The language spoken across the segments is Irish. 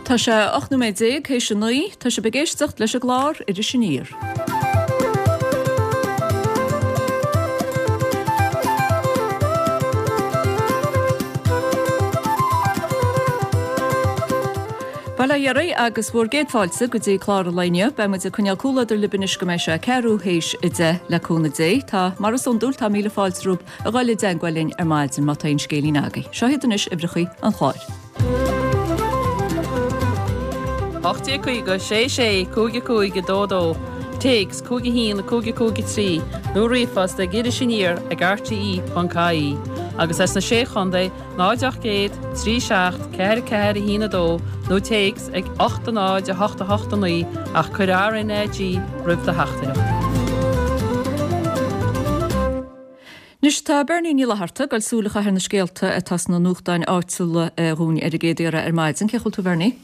Tá sé 18 nóiméad théis a 9. Tá sibh ag éisteacht leis an gclár Iris Aniar. Bail ó Dhia oraibh agus bhur gcéad fáilte go dtí clár an lae inniu. Beidh muid ag coinneáil comhluadar libh anois go mbeidh sé ceathrú théis 10 le cúnamh Dé. Tá, mar is iondúil, tá míle fáilte romhaibh a ghoil i dteagmháil linn ar maidin má tá aon scéilín agaibh. Seo iad anois uimhreachaí an chláir. 1850 6 6 5 5 2 2, Téacs 5 1 5 5 3 nó ríomhphost ag irisaniar ag rte.ie agus as na Sé Chontae 0 800 3 7 4 4 1 2 nó téacs ag 8 0 8 8 9 ach cuir RnaG roimh do theachtaireacht. Anois tá Bernie Ní Fhlatharta ag goil súil a chaitheamh ar na scéalta atá sna nuachtáin áitiúla dhúinn ar an gcéad iarraidh ar maidin. Cén chaoi a bhfuil tú Bernie?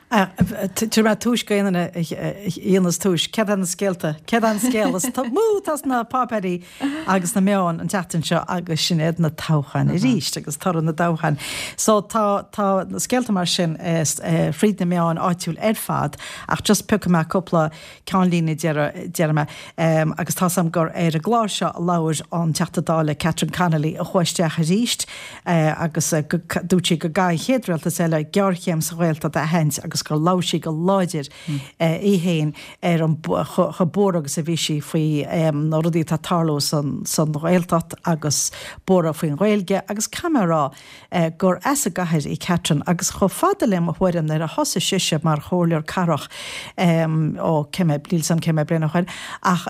Tabharfaidh mé túis go aon duine a dhéanas túis. Céard é na scéalta? Céard é an scéal is mó atá sna páipéirí agus na meáin an tseachtain seo agus sin iad na toghcháin arís agus toradh na dtoghchán. So tá tá na scéalta mar sin fríd na meáin áitiúil ar fad ach just piocfaidh mé cúpla ceannlíne déarfaidh mé agus tá's a'm gur ar an gclár seo a labhair an Teachta Dála Catherine Connolly a chuaigh isteach arís agus dúirt sí go gcaithfidh an chéad rialtas eile géarchéim sa Ghaeltacht a aithint agus gur labhair sí go láidir í féin ar an chomh buartha agus a bhí sí faoi na rudaí atá ag tarlú san Ghaeltacht agus buartha faoin Ghaeilge agus caithfidh mé a rá gur as an gcathair í Catherine agus chomh fada le mo thuairim nuair a thosaigh sise mar chomhairleoir cathrach ó cé mhéad, níl 's a'm cé mhéad bliain ó shoin ach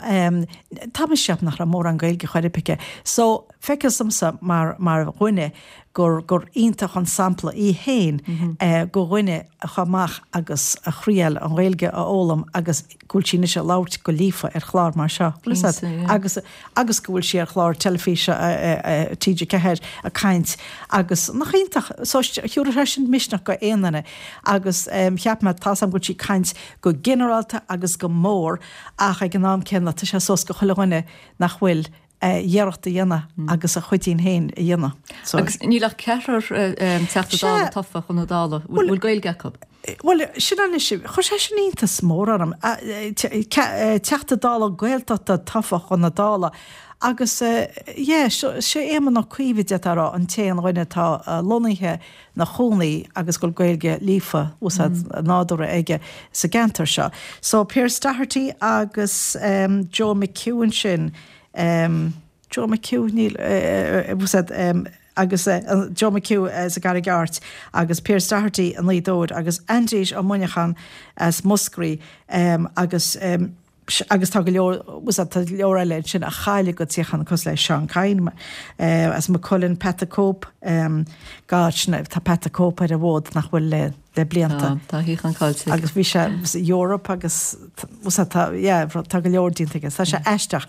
tá mise ag ceapadh nach raibh mórán Gaeilge chor ar bith aici. So feictear domsa mar mar dhuine gur gur iontach an sampla í féin go dhuine a chuaigh amach agus a thriail an Ghaeilge a fhoghlaim agus go bhfuil sí anois ag labhairt go líofa ar chlár mar seo, bhfuil 'fhios a'd, agus, agus go bhfuil sí ar chlár teilifíse TG4 ag caint agus nach iontach, so thiúrfadh sé sin misneach go aon duine agus cheap mé, tá's a'm go bhfuil sí ag caint go ginearálta agus go mór ach ag an am céanna tá sé suas go chuile dhuine nach bhfuil iarracht a dhéanamh agus a chuidín féin a dhéanamh. So. Agus níl ach ceathrar Teachta Dála tofa chun na Dála. Bhfuil Gaeilge acu? Bhuel, sin anois, chuir sé sin iontas mór orm. Teachta Dála Gaeltachta tofa chun na Dála agus yeah, sé Éamon Ó Cuív a d'fhéadfá a rá an t-aon dhuine atá lonnaithe 'na chónaí agus go bhfuil Gaeilge líofa, úsáid nádúrtha aige sa gceantar seo. So Pearse Doherty agus Joe McHugh ansin, Joe McHugh, níl, úsáid, agus Joe McHugh as an gCarraig Airt agus Pearse Doherty i nGaoth Dobhair agus Aindrias Ó Muineacháin as Múscraí agus agus tá go leor, tá go leor eile ansin a chaill a gcuid suíochán cosúil le Seán Kyne as Maigh Cuilinn, Pat the Cope, God, sin, tá Pat the Cope ar an bhfód nach bhfuil le, le blianta. Tá, tá a shuíochán caillte aige. Agus bhí sé sa Eoraip agus tá, yeah, tá go leor déanta aige. Tá sé aisteach.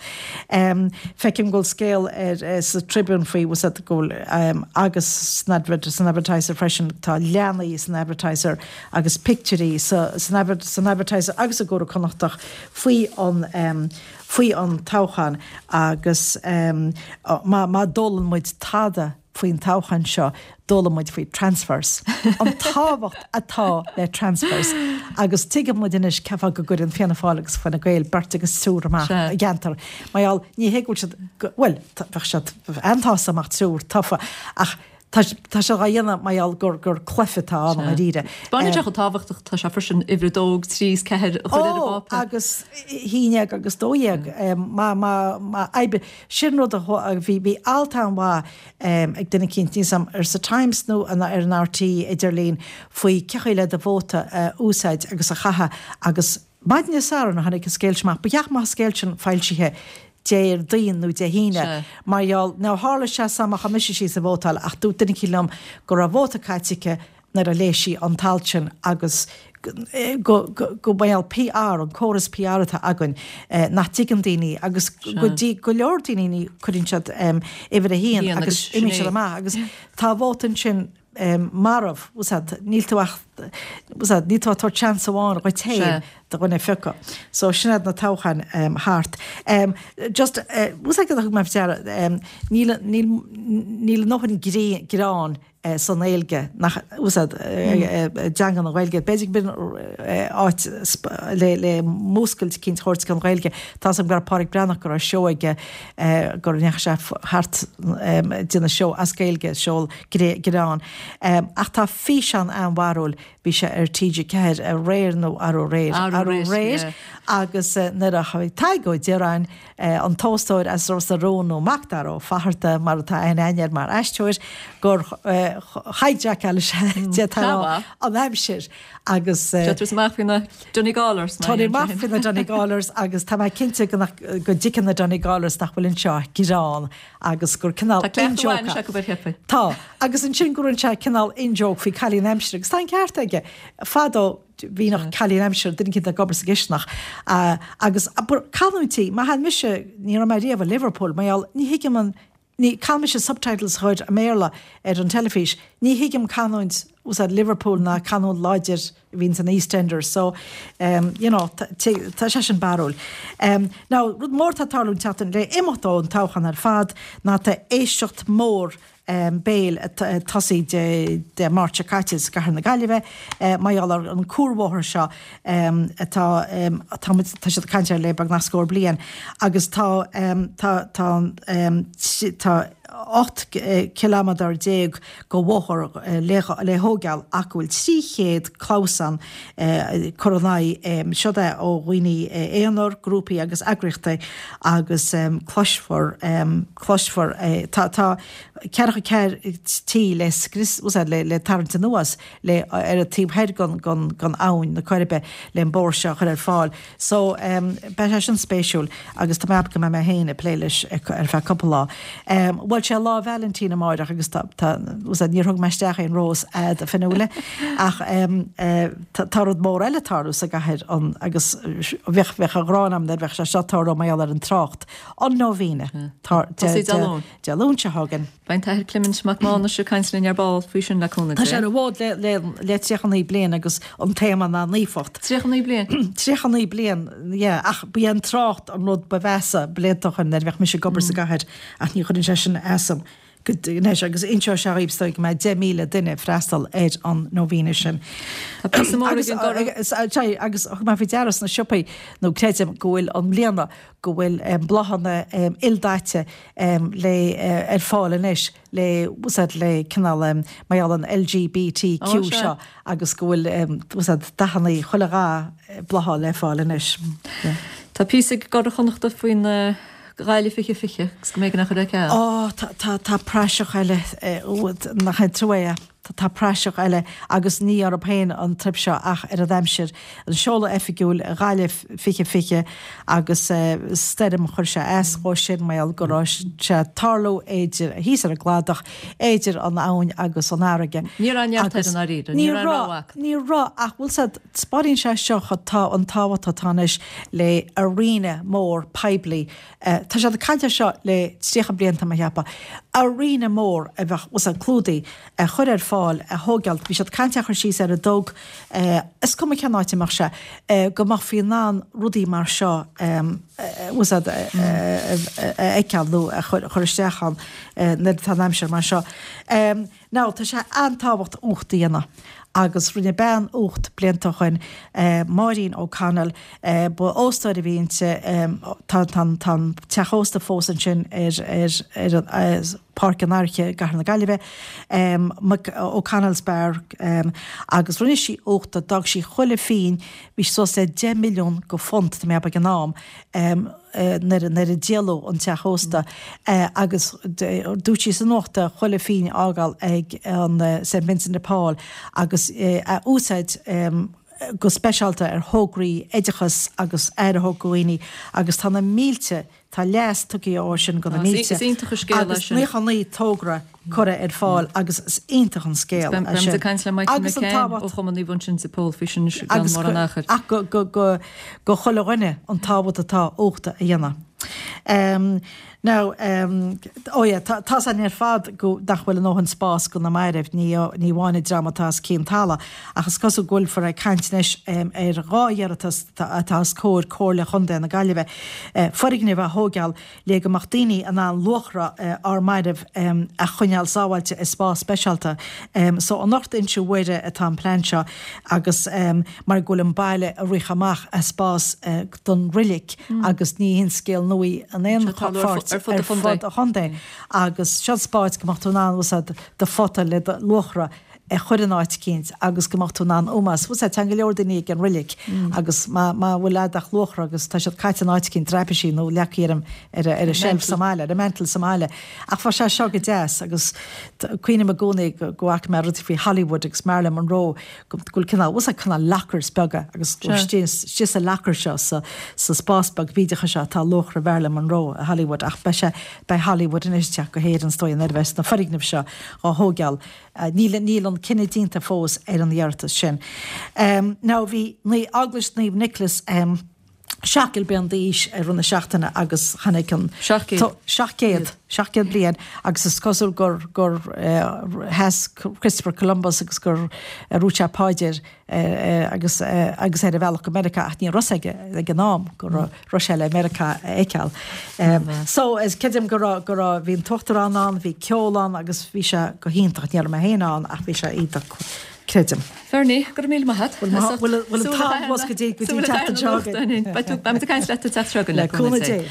Feicim go bhfuil scéal ar, sa Tribune faoi, go bhfuil, agus san Advertiser freisin, tá leanaí san Advertiser agus pictiúirí san Advertiser agus i gComhar Connachtach faoi an faoi an toghchán agus má má d'fhoghlaim muid tada faoin toghchán seo d'fhoghlaim muid faoi transfers, an tábhacht atá le transfers agus tuigeann muid anois cén fáth go gcuireann Fianna Fáil agus Fine Gael beirt agus triúr amach i gceantar mar gheall ní hé go bhfuil siad bhuel bheadh siad an-sásta dá mbeadh triúr tofa ach Tá sé á dhéanamh mar gheall gur gur cluiche atá ann i ndáiríre. Baineann sé chomh tábhachtach tá sé freisin uimhir a dó, trí is ceathair a chur ar an bpáipéar. Ó, agus haon déag agus dó dhéag. Má má má oibre sin rud a bhí bhí alt an-mhaith ag duine eicínt níl 's a'm ar sa Times nó ar an RTÉ idirlíon faoi cén chaoi le do vóta a úsáid agus a chaitheamh agus Maidin Dé Sathairn a tháinig an scéal sin amach. Ba cheart go mbeadh an scéal sin foilsithe Déardaoin nó Dé hAoine mar gheall, now tharla sé san má chuaigh mise síos ag vótáil ach dúirt duine eicínt liom go raibh vóta caite aici nuair a léigh sí an t-alt sin agus go, go, go mar gheall PR, an córas PR atá againn nach dtuigeann daoine agus go dtí go leor daoine ní cuireann siad uimhir a haon agus imíonn siad amach agus tá vóta ansin marbh, níl tú ach. Níl tú ag tabhairt seans amháin dhuit féin do dhuine a phiocadh. So sin iad na toghcháin thart. Just, bhfuil a fhios agat thug mé faoi deara, níl, níl, níl a ndóthain greann san Ghaeilge, nach, bhfuil a fhios agat, i dteanga na Gaeilge. B'fhéidir go b'in áit le, le múscailt eicínt a thabhairt don Ghaeilge. Tá 'fhios agam go raibh Pádraic Breathnach go raibh seó aige go ndeachaigh sé thart ag déanamh seó as Gaeilge, seó greann. Ach tá físeán an-bharrúil, bhí sé ar TG4 aréir nó arú aréir, arú aréir, agus nuair a bhí Tadhg Ó Direáin, an t-óstóir as Ros na Rún nó Macdara Ó Fatharta mar atá aithne againn air mar aisteoir, gur hijackáil sé d'fhéadfá a rá, an aimsir agus. Tabhairt amach faoi na Donegallers. Tabhairt amach faoi na Donegallers agus tá mé cinnte go dtuigeann na Donegallers nach bhfuil anseo ach greann agus gur cineál Tá cleachtadh mhaith anois acu ar theipigh. Tá. Agus ansin go rinne sé cineál in-joke faoi cailín aimsire agus tá an ceart aige. Fadó bhí nach cailín aimsire duine eicínt ag obair sa gcisteanach agus canúintí, má théann mise, ní raibh mé riamh i Liverpool, mar gheall, ní thuigim an, ní, caithfidh mise subtitles a chur i mBéarla ar an teilifís, ní thuigim canúint, úsáid Liverpool ná canúint láidir a bhíonn san EastEnders so you know tá sé sin barrúil. Now rud mór atá ag tarlú an tseachtain le imeacht ón toghchán ar fad ná tá éisteacht mór béil ag tosaí Dé Máirt seo caite sa gcathair na Gaillimhe mar gheall ar an cuarbhóthar seo atá tá muid tá siad ag caint air le beagnach scór bliain agus tá tá tá tá 18 ciliméadar de bhóthar le thógáil ach go bhfuil 300 clamhsán curtha in aghaidh, seod é ó dhaoine aonair, grúpaí agus eagraíochtaí agus cloisfear, cloisfear, tá, tá 44 tí le scrios, le tarraingt anuas le, ar an taobh thoir den, den abhainn na Coiribe le an bóthar seo a chur ar fáil. So, beidh sé sin spéisiúil agus tá mé ag ceapadh go mbeidh mé féin ag plé leis ar feadh cúpla lá. Bhuel, sé Lá Vailintín amáireach agus tá, tá, níor thug mé isteach aon rós a'd, a Fionnuala, ach tá rud mór eile ag tarlú sa gcathair an, agus bheadh, bheadh an ghráin a'm nuair a bheadh sé seo ag tarlú mar gheall ar an trácht. An Novena. Tá, Tosaí Dé Luain. Dé Luain seo chugainn. Beidh an tAthair Clement Mac Mánais ag caint linn ar ball faoi sin le cúnamh Tá sé ar an bhfód le le 39 bliain agus an téama ná naofacht. 39 bliain? 39 bliain, yeah, ach ba é an trácht an rud ba mheasa blianta ó shin nuair a bheadh mise ag obair sa gcathair ach ní chuireann sé sin asam go anois agus inseoidh sé dhaoibh is dóigh go mbeidh 10,000 duine ag freastal ar an novena sin. Tá píosa mór ag an gCuradh. Sorry, agus thug mé faoi deara sna siopaí nó creidim go bhfuil i mbliana go bhfuil bláthanna ildaite le ar fáil anois le úsáid le cineál mar gheall an LGBTQ seo agus go bhfuil úsáid dathanna chuile dhath blátha le fáil anois. Tá píosa ag i gCuradh Chonnachta faoin Ghaillimh 2020 agus go mb'éigean é a chur ar ceal. Ó tá tá praiseach eile nach é trua é. Tá praiseach eile agus ní orthu féin an teip seo ach ar an aimsir. An seoladh oifigiúil Ghaillimh 2020 agus stoirm chuir sé as dhó sin mar gheall go raibh sé ag tarlú idir thíos ar an gcladach, idir an abhainn agus an fharraige. Ní raibh neart air i ndáiríre, ní raibh rogha acu. Ní raibh ach bhfuil 's a'd, 'spáineann sé seo tá an tábhacht atá anois le arena mór poiblí Tá siad ag caint air seo le 30 bliain tá mé a cheapadh. Arena mór a bheadh, bhfuil 's a'd, clúdaithe, a chur ar fáil, a thógáil, bhí siad ag caint é a chur síos ar an dTug, is cuma cén áit a mbeadh sé, go mbeifí in ann rudaí mar seo, bhfuil 's a'd, a fheiceáil nó a chur isteach ann nuair atá an aimsir mar seo. Now, tá sé an-tábhacht ucht a dhéanamh agus rinne bean ucht blianta ó shoin, Máirín O'Connell, ba óstóir a bhí inti, tá tá tá an teach ósta fós ansin ar ar ar Páirc an Fhairche i gCathair na Gaillimhe, O'Connell's Bar, agus rinne sí ucht, d'fhág sí chuile phingin, bhí suas le 10 milliún go phunt, tá mé ag ceapadh ag an am, nuair a díoladh an teach ósta agus dúirt sí sa nuacht chuile phingin a fhágáil ag an St Vincent de Paul agus a úsáid go speisialta ar thograí oideachas agus aire a thabhairt do dhaoine agus tá na mílte, tá leas tugtha ó sin go na mílte agus 99 togra curtha ar fáil agus is iontach an scéal é sin. Beimid ag caint le Michael McCann ó Chumann Naomh Uinseann de Pól faoi sin i gceann mórán achair. Ach go chuile dhuine an tábhacht atá ucht a dhéanamh. Now, oh yeah, tá tá's againn ar fad go, nach bhfuil a ndóthain spás go na mairbh, ní ní amháin an dream atá os cionn tala, ach is cosúil go bhfuilfear ag caint anois ar 2 iarratas atá os comhair Comhairle Chontae na Gaillimhe, foirgneamh a thóigeáil le go mbeadh daoine in ann luachra ár mairbh a choinneáil sábháilte i spás speisialta. So anocht Inse Mhuire atá an plean seo agus mar go bhfuil an baile ag rith amach as spás don roilig agus ní haon scéal nua í in aon pháirt ar fud an chontae agus seo spás go mbeadh tú in ann úsáid do phota le do luachra a chur in áit eicínt agus go mbeadh tú in ann ómós, bhfuil 's a'd, téann go leor daoine ag an roilig agus má má bhfuil a'd ach luachra agus tá siad caite in áit eicínt traipisí nó leagtha ar an ar an shelf sa mbaile, ar an mantel sa mbaile. Ach bheadh sé seo go deas agus cuimhním i gcónaí go go bhfaca mé rudaí faoi Hollywood agus Marilyn Monroe go bhfuil cineál, bhfuil 's a'd, cineál lockers beaga agus go bhfuil istigh sa locker seo sa sa spás beag bídeach seo tá luachra Mharilyn Monroe i Hollywood ach beidh sé, beidh Hollywood anois ag teacht go hÉirinn is dóigh nuair a bheas na foirgnimh seo á thóigeáil. Níl, níl an cinneadh déanta fós ar an iarratas sin. Now bhí Eaglais Naomh Nioclás, 700 bliain d'aois i rith na seachtaine agus tháinig an. 700. 700. 700 bliain agus is cosúil gur, gur sheas Christopher Columbus agus gur dhúirt sé paidir agus, agus ar a bhealach go Meiriceá ach ní raibh 's aige ag an am go raibh sé le Meiriceá a fheiceáil. So, is creidim go raibh, go raibh, bhí an tUachtarán ann, bhí ceol ann agus bhí sé go hiontach, ní raibh mé féin ann ach bhí sé iontach. Creidim. Bernie, go raibh míle maith agat. Bhfuil an t-am fós go dtí go dtí an tseachtain seo chugainn? Beidh tú, beimid ag caint leat an tseachtain seo chugainn le cúnamh Dé.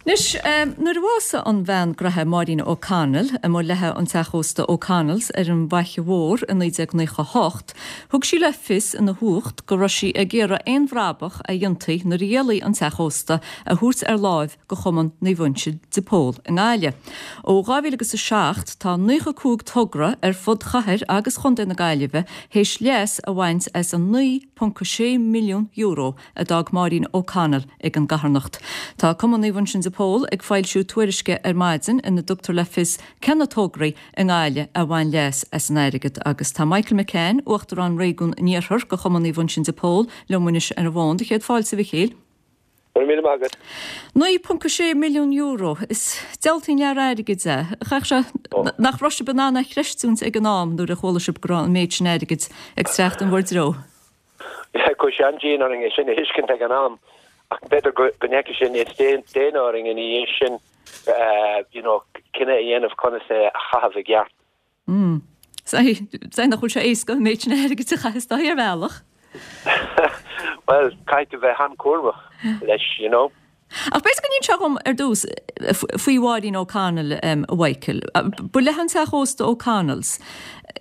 Anois, nuair a bhásaigh an bhean gnaithe Máirín O'Connell, amuigh léithe an teach ósta O'Connell's ar an bhFaiche Mhór i 1998, thug sí le fios ina huacht go raibh sí ag iarraidh aon bhrabach a dhéanfaí nuair a dhíolfaí an teach ósta a thabhairt ar láimh go Chumann Naomh Uinseann de Pól i nGaillimh. Ó 2007 tá 95 togra ar fud chathair agus chontae na Gaillimhe théis leas a bhaint as an €9.6 milliún a d'fhág Máirín O'Connell ag an gcarthanacht. Tá Cumann Naomh Uinseann de Pól ag foilsiú tuairisce ar maidin ina dtugtar le fios cé na tograí i nGaillimh a bhain leas as an airgead agus tá Michael McCann, Uachtarán Réigiún an Iarthair de Chumann Naomh Uinseann de Pól liom anois ar an bhfón. Do chéad fáilte a Mhichíl. Go raibh míle maith agat. €9.6 milliún, is diabhaltaí lear airgid é. Chaithfeadh sé nach raibh sibh in ann é a chreistiúint ag an am nuair a chuala sibh go raibh an méid sin airgid ag teacht in bhur dtreo. Chuaigh sé an-dian orainn é sin a thuiscint ag an am ach b'fhéidir go ndeachaigh sé níos déine orainn ina dhiaidh sin you know cinneadh a dhéanamh conas é a chaitheamh i gceart. Mm. Sea, nach bhfuil sé éasca an méid sin airgid a chaitheamh is dóigh ar bhealach. Bhuel, caithfidh tú bheith an-chúramach leis, you know. Ach b'fhéidir go n-inseofá dhom ar dtús faoi Mháirín O'Connell, a Mhichael. Ba léithe an teach ósta O'Connell's.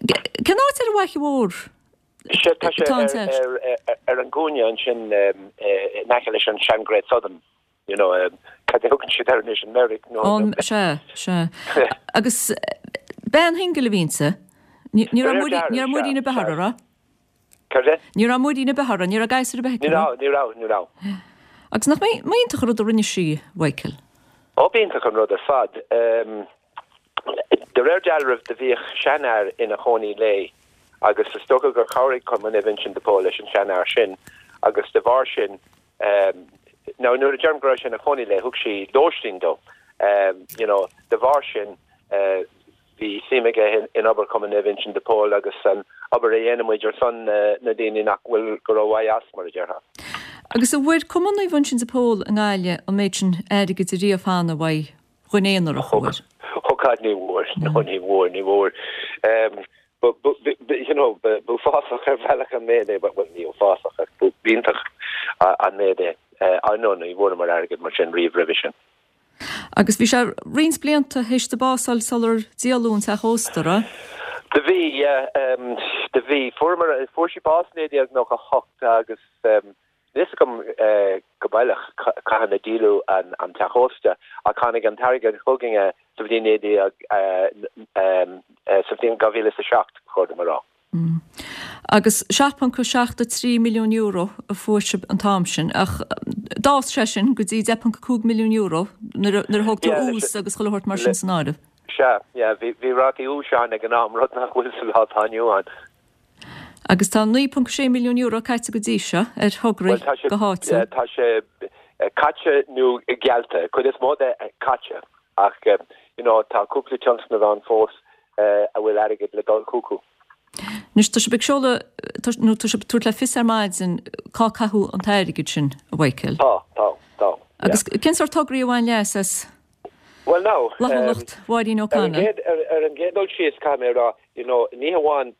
Cén áit ar an bhFaiche Mhór Sea, tá sé ar an gcúinne ansin in aice leis an sean Great Southern. You know, cad a thugann siad air anois, an Merrick nó an. Sea, sea. Agus bean shingil a bhí inti. Ní raibh muirín ar bith uirthi, raibh? Cad é? Ní raibh muirín ar bith uirthi, ní raibh gasúr ar bith aici, raibh? Ní raibh, ní raibh, ní raibh. Agus nach iontach an rud a rinne sí, Mhichael? Ó, b'iontach an rud ar fad. De réir dealraimh do bhíodh seanfhear ina chónaí léi agus is dócha gur chabhraigh Cumann Naomh Uinseann de Pól leis an seanfhear sin agus de bharr sin Now nuair a deirim go raibh sé ina chónaí léi, thug sí lóistín dó. You know, de bharr sin, bhí suim aige in obair Chumann Naomh Uinseann de Pól agus an obair a dhéanann muid ar son na daoine nach bhfuil go rómhaith as, mar a déarfá. Agus an bhfuair Cumann Naomh Uinseann de Pól i nGaillimh an méid sin airgid ariamh cheana, uaidh dhuine aonarach, an bhfuair? Oh God, ní bhfuair, no ní bhfuair, ní bhfuair. You know, b'uafásach ar bhealach an méid é, bhuel ní uafásach ach b'iontach an méid é. Ah no, ní bhfuaireamar airgead mar sin riamh roimhe sin. Agus bhí sé roinnt blianta théis di bás a fháil sular díoladh an teach ósta, raibh? Do bhí, yeah, do bhí. Fuaireamar, fuair sí bás 1998 agus Níl fhios agam go baileach cathain a díoladh an teach ósta ach tháinig an t-airgead chugainne sa bhliain 19, sa bhliain 2007, ba chóir dom a rá. Agus €7.73 milliún a fuair sibh an t-am sin ach d'fhás sé sin go dtí €10.5 milliún nuair a thóg tú ús agus chuile shórt mar sin san áireamh. Sea, yeah, bhí rátaí úis ann ag an am, rud nach bhfuil sa lá atá inniu ann. Agus tá €9.6 milliún caite go dtí seo ar thograí go háitiúil. Tá sé caite nó geallta, cuid is mó de caite. Ach you know tá cúpla tionscnamh ann fós a bhfuil airgead le dul chucu. Anois tá sibh ag seoladh, nó tá sibh ag tabhairt le fios ar maidin cá caitheadh an t-airgead sin, a Mhichael. Tá, tá, tá, yeah. Agus cén sórt tograí a bhain leas as Bhuel now, fhlaithiúlacht Mháirín O'Connell? Ar an gcéad dul síos, caithfidh mé a rá, you know, ní hamháin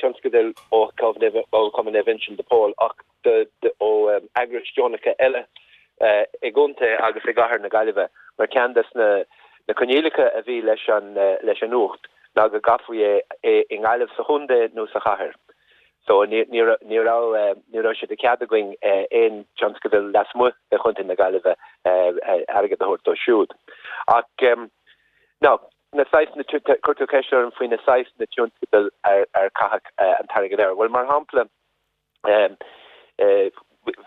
tionscadail ó Chumann Naomh Uinseann de Pól ach ó eagrais deonacha eile i gcontae agus i gcathair na Gaillimhe, mar ceann des na coinníollacha a bhí leis an leis an uacht ná go gcaithfí é i nGaillimh sa chontae nó sa chathair. So ní ní ní raibh ní raibh sé de chead againn aon tionscadal lasmuigh de chontae na Gaillimhe airgead a thabhairt dó siúd. Ach now na saghas na chuir tú ceist orm faoi na saghas na tionscadail ar ar caitheadh an t-airgead air. Bhuel mar shampla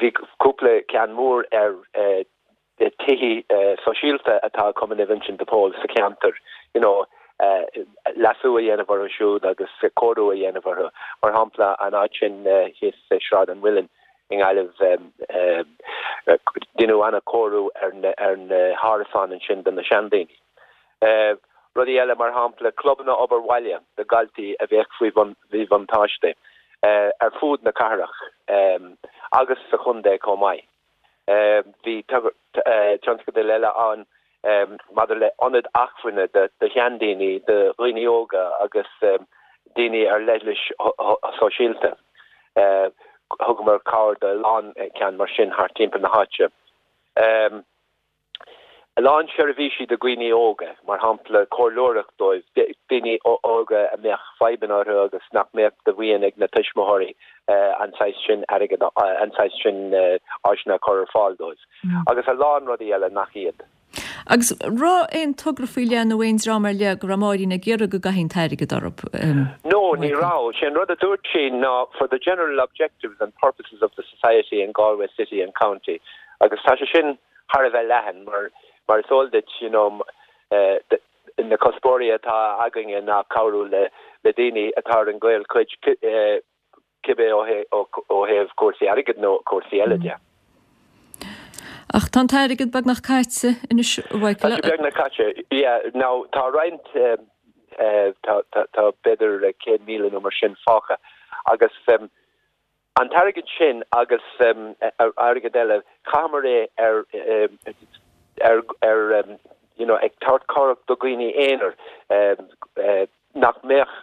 Bhí cúpla ceann mór ar tithe sóisialta atá ag Cumann Naomh Uinseann de Pól sa cheantar, you know, leasú a dhéanamh orthu siúd agus cóiriú a dhéanamh orthu. Mar shampla, an áit sin thíos i Sráid an Mhuilinn i nGaillimh, deineadh an-chóiriú ar na hárasáin ansin do na seandaoine. Rudaí eile, mar shampla, clubanna obair bhaile do dhaltaí a bheadh faoi mhíbhuntáiste ar fud na cathrach agus sa chontae chomh maith. Bhí tionscadail eile ann maidir le ionaid acmhainne do sheandaoine, do dhaoine óga agus daoine ar leithlis sóisialta. Thugamar cabhair do a lán ceann mar sin thart timpeall na háite. A lán seirbhísí do dhaoine óga, mar shampla comhairleoireacht dóibh, daoine óga a mbeadh fadhbanna orthu agus nach mbeadh de mhaoin ag na tuismitheoirí an saghas sin airgid, an saghas sin áiseanna a chur ar fáil dóibh. Agus a lán rudaí eile nach iad. Agus raibh aon togra faoi leith nó aon dream ar leith go raibh Máirín ag iarraidh go gcaithfí an t-airgead orthu? No, ní raibh. Sé an rud a dúirt sí ná for the general objectives and purposes of the society in Galway City and County agus tá sé sin thar a bheith leathan mar mar is eol duit you know na cuspóirí atá againne ná cabhrú le le daoine atá ar an gcaolchuid cibé ó thaobh cúrsaí airgid nó cúrsaí eile de. Ach tá an t-airgead beagnach caite anois a Mhichael. Tá sé beagnach caite, yeah. Now tá roinnt tá tá tá b'fhéidir 100,000 nó mar sin fágtha agus An t-airgead sin agus airgead eile, chaitheamar é ar, ar, ar you know, ag tabhairt cabhrach do dhaoine aonair nach mbeadh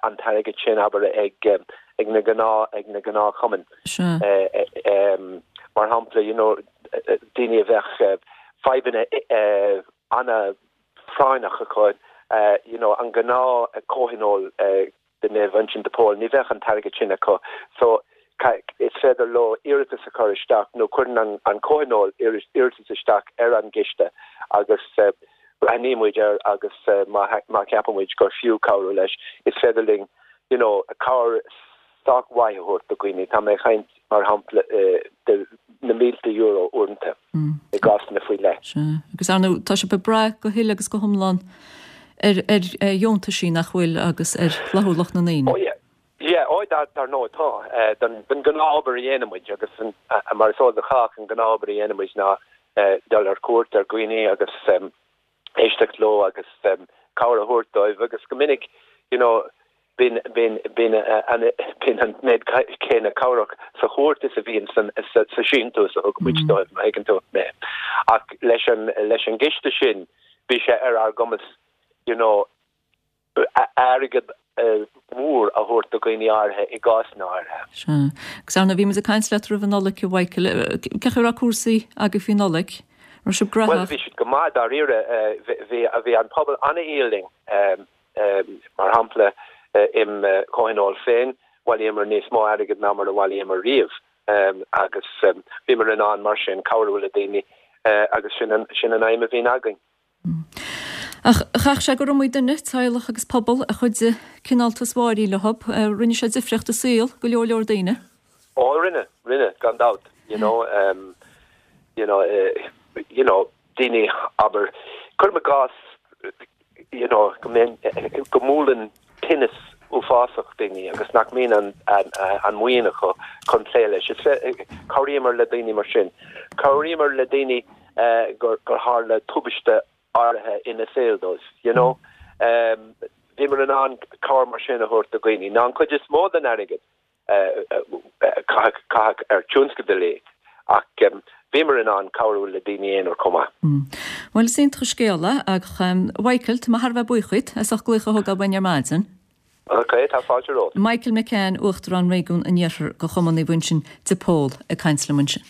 an t-airgead sin, abair, ag, ag na gnáth, ag na gnáthchumainn. Mar shampla, you know, daoine a bheadh fadhbanna ana-phráinneach acu, you know, an gnáth comhthionól, de Naomh Uinseann de Pól, ní bheadh an t-airgead sin acu so is féidir leo iarratas a chur isteach nó cuireann an comhthionól iarratas isteach ar an gciste agus breathnaíonn muid air agus má cheapann muid gur fiú cabhrú leis is féidir linn you know cabhair sách mhaith a thabhairt do dhaoine. Tá mé ag caint mar shampla de na mílte euro uaireanta i gcásanna faoi leith. Sea, agus ar ndóigh tá sibh ag brath go huile agus go hiomlán ar ar dheontaisí nach bhfuil agus ar fhlaithiúlacht na ndaoine. Oh yeah, yeah, oh dar dar ndóigh tá. Don don gnáth-obair a dhéanann muid agus mar is eol do chách an gnáth-obair a dhéanann muid ná dul ar cuairt ar dhaoine agus éisteacht leo agus cabhair a thabhairt dóibh agus go minic you know bíonn bíonn bíonn an bíonn an méid céanna cabhrach sa chuairt is a bhíonn san sa sa síntiús a thugann muid dóibh má thuigeann tú mé. Ach leis an leis an gciste sin bhí sé ar ár gcumas you know airgead mór a thabhairt do dhaoine áirithe i gcásanna áirithe. Sea. Agus ar ndóigh bhí muid ag caint leat roimh an Nollaig, a Mhichael. Cén chaoi a raibh cúrsaí agaibh faoi Nollaig? An raibh sibh gnóthach? Bhuel, bhí siad go maith dáiríre. Bhí bhí an pobal an-fhial linn. Mar shampla, im chomhthionól féin, bhailíomar níos mó airgid ná mar a bhailíomar riamh agus bhíomar in ann mar sin cabhrú le daoine agus sin an sin an aidhm a bhíonn againn. Ach chaithfeadh sé gur iomaí duine, teaghlach agus pobal, a chuidigh cineáltas Mháirín leo. Rinne sé difríocht i saol go leor leor daoine. Ó rinne, rinne, gan dabht. You know, you know, you know, daoine, abair, cuirim i gcás, you know, go mbíonn, go mbuaileann tinneas uafásach daoine agus nach mbíonn an, an, an mhaoin acu chun plé leis. Is, cabhraíomar le daoine mar sin. Cabhraíomar le daoine gur, gur tharla tubaiste. áirithe ina saol dóibh, you know. Bhíomar in ann cabhair mar sin a thabhairt do dhaoine. Ná an chuid is mó den airgead caitheadh ar tionscadail é, ach bhíomar in ann cabhrú le daoine aonair chomh maith. Bhuel, is iontach an scéal é, ach a Mhichael, tá mé thar a bheith buíoch díot as ucht glaoch a thógáil uainn ar maidin. Ok, tá fáilte romhat. Michael McCann, Uachtarán Réigiún an Iarthair de Chumann Naomh Uinseann de Pól ag caint liom ansin.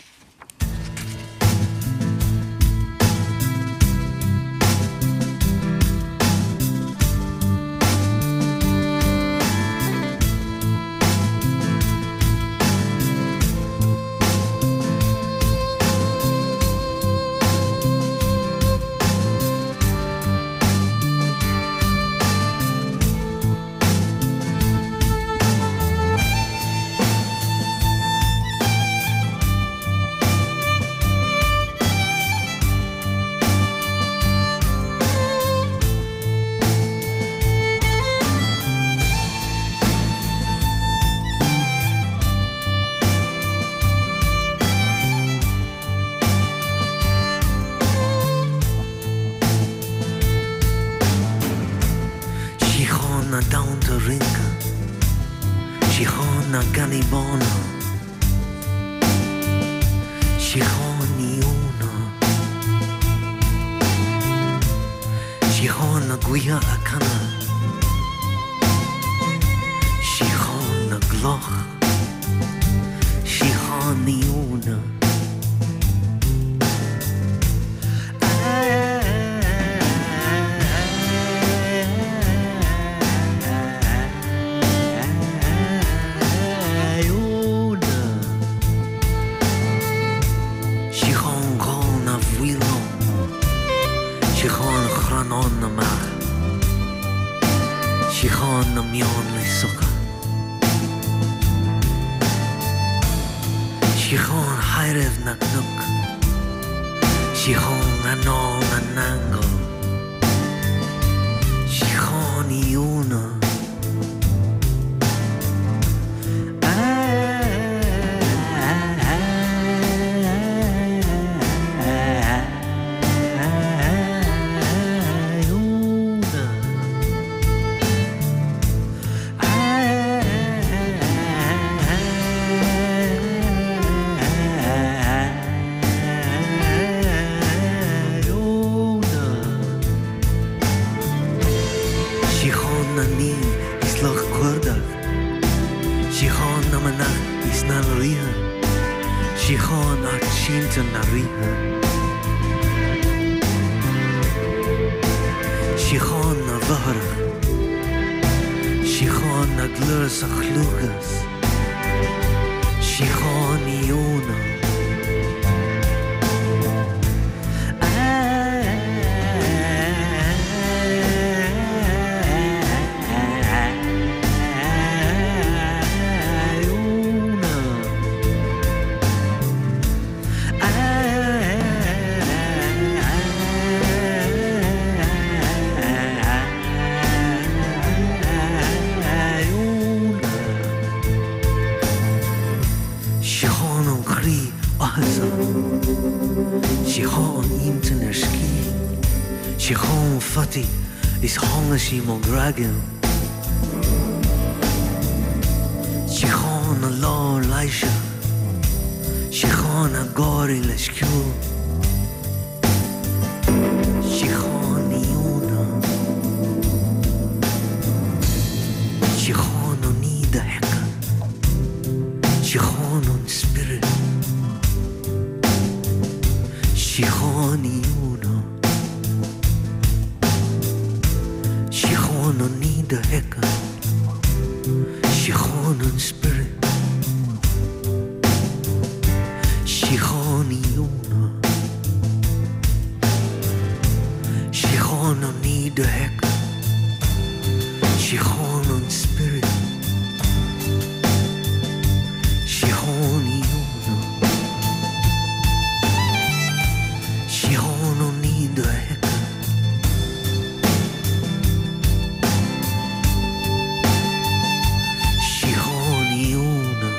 Síocháin na dtonnta rince, síocháin na gcannaí bána, síocháin Ióna, síocháin na gaoithe ag canadh, síocháin na gcloch, síocháin Ióna. Síocháin ghal na bhfaoileán, síocháin chrannáin na mbeach, síocháin na mbeann le socha. Síocháin thaidhreamh na gcnoc, síocháin anáil na n-aingeal, síocháin Ióna. Síocháin na naomh is lucht cuardaigh, Síocháin na manach is na ndraoithe, Síocháin art sínte na ríthe. Síocháin na bhfothrach, Síocháin na gclár sa chlúchas, Síocháin Ióna. Síocháin an chroí áthasach, síocháin an intinn ar scíth, síocháin fataí is tháinig sí mo ghraigeann. Síocháin na lá leighise. Síocháin an gáirí leis ceol. Síocháin Ióna. Síocháin an ní do theca. Síocháin an spiorad. Síocháin Ióna. Síocháin an ní do theca. Síocháin an spiorad. Síocháin Ióna. Síocháin an ní do theca. Síocháin an spiorad. Síocháin Ióna. Síocháin an ní do theca. Síocháin Ióna.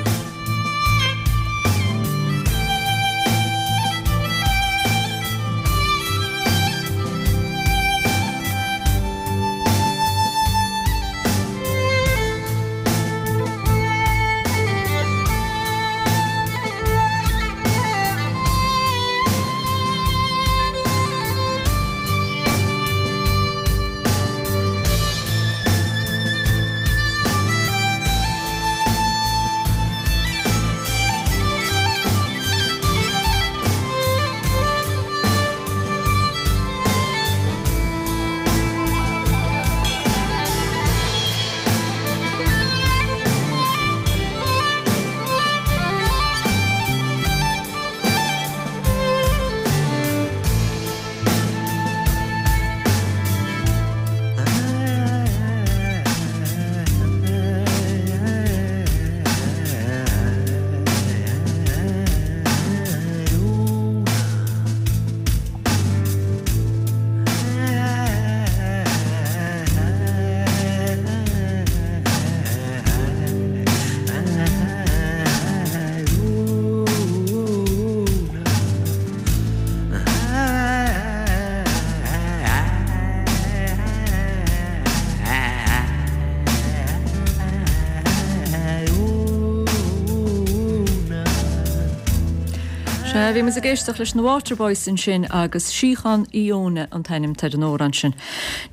Bhí muid ag éisteacht leis na Waterboys ansin agus Síocháin Iona an t-ainm atá ar an amhrán sin.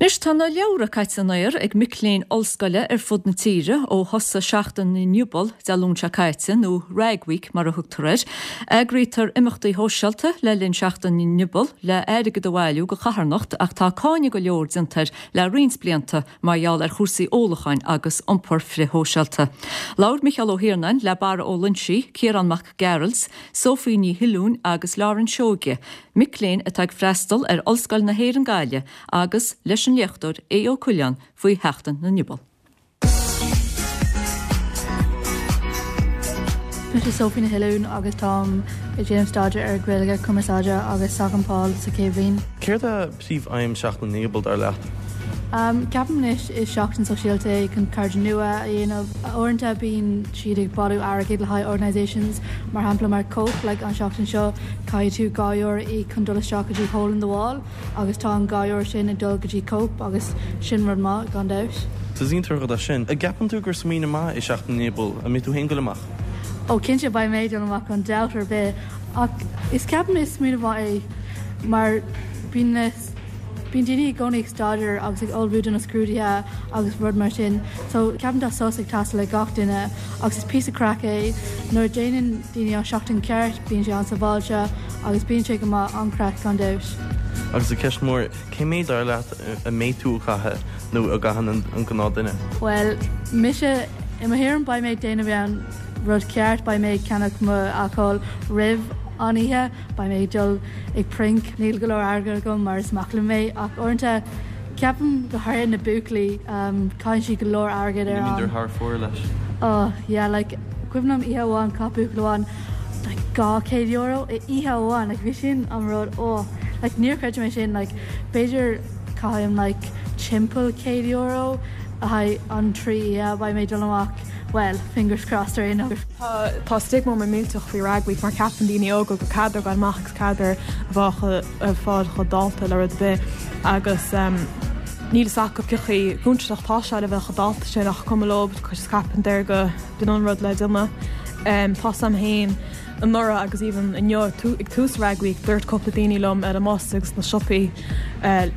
Anois tá na leabhra caite in aer ag mic léinn ollscoile ar fud na tíre ó thosaigh Seachtain na nGiobal Dé Luain seo caite, nó Rag Week mar a thugtar air. Eagraítear imeachtaí shóisialta le linn Seachtain na nGiobal le airgead a bhailiú do charthanacht ach tá cáineadh go leor déanta air le roinnt blianta mar gheall ar chúrsaí ólacháin agus iompar frithshóisialta. Labhair Micheál Ó hIarnáin le Barra Ó Loinsigh, Ciarán Mac Gearailt, Sophie Ní Shuilleabháin agus Lauren Seoige, mic léinn atá ag freastal ar Ollscoil na hÉireann Gaillimh agus leis an léachtóir Aodh Ó Coileáin faoi Sheachtain na nGiobal. Mise Sophie Ní Shuilleabháin agus táim ag déanamh staidéar ar Gaeilge, Cumarsáide agus Sac-Campáil sa chéad bhliain. Céard é príomh-aidhm Seachtain na nGiobal, dar leat? Ceapaim anois is seachtain sóisialta é chun cairde nua a dhéanamh. Uaireanta bíonn siad ag bailiú airgid le haghaidh organisations mar shampla mar Cope like an seachtain seo caithfidh tú €2 a íoc chun dul isteach go dtí Hole in the Wall. Agus tá an €2 sin ag dul go dtí Cope agus sin rud maith, gan dabht. Is iontach an rud é sin. An gceapann tú gur smaoineamh maith é Seachtain na nGiobal? An mbeidh tú féin ag dul amach? Ó cinnte beidh mé ag dul amach gan dabht ar bith. Ach is ceapaim is smaoineamh maith é mar bíonn na bíonn daoine i gcónaí ag staidéar agus ag ullmhú do na scrúduithe agus rud mar sin. So ceapaim tá sos ag teastáil ag gach duine agus is píosa craic é. Nuair a déanann daoine an seachtain ceart bíonn sé an-sábháilte. Agus bíonn sé go maith, an-chraic gan dabht. Agus an ceist mór, cé méid dar leat a mbeidh tú ag caitheamh nó a gcaitheann an gnáth duine? Bhuel, mise, i mo thuairim beidh mé ag déanamh an rud ceart, beidh mé ag ceannach mo alcól roimh an oíche, beidh mé ag dul ag princ, níl go leor airgead agam mar is mac léinn mé ach uaireanta ceapaim go háirithe na buachaillí, caitheann siad go leor airgead ar an. Ní bhíonn thar fóir leis. Oh yeah, like cuimhin liom oíche amháin chaith buachaill amháin like €200 i oíche amháin like bhí sin an rud oh like níor chreid mé sin like b'fhéidir caithim like timpeall €100 le haghaidh an 3 oíche beidh mé ag dul amach well fingers crossed ar aon nós. Tá tá stigma millteach faoi Rag Week mar ceapann daoine óga gur cead dóibh dul amach agus cead dóibh a bheith fáil chomh dálta le rud ar bith agus níl fhios acu cé chomh contúirteach atá sé le bheith chomh dálta sin ach cuma leo 'cause ceapann daoine go B'in an rud le déanamh. Tá 'fhios a'm féin anuraidh agus even inniu ag tús Rag Week dúirt cúpla daoine liom ar an mbus agus sna siopaí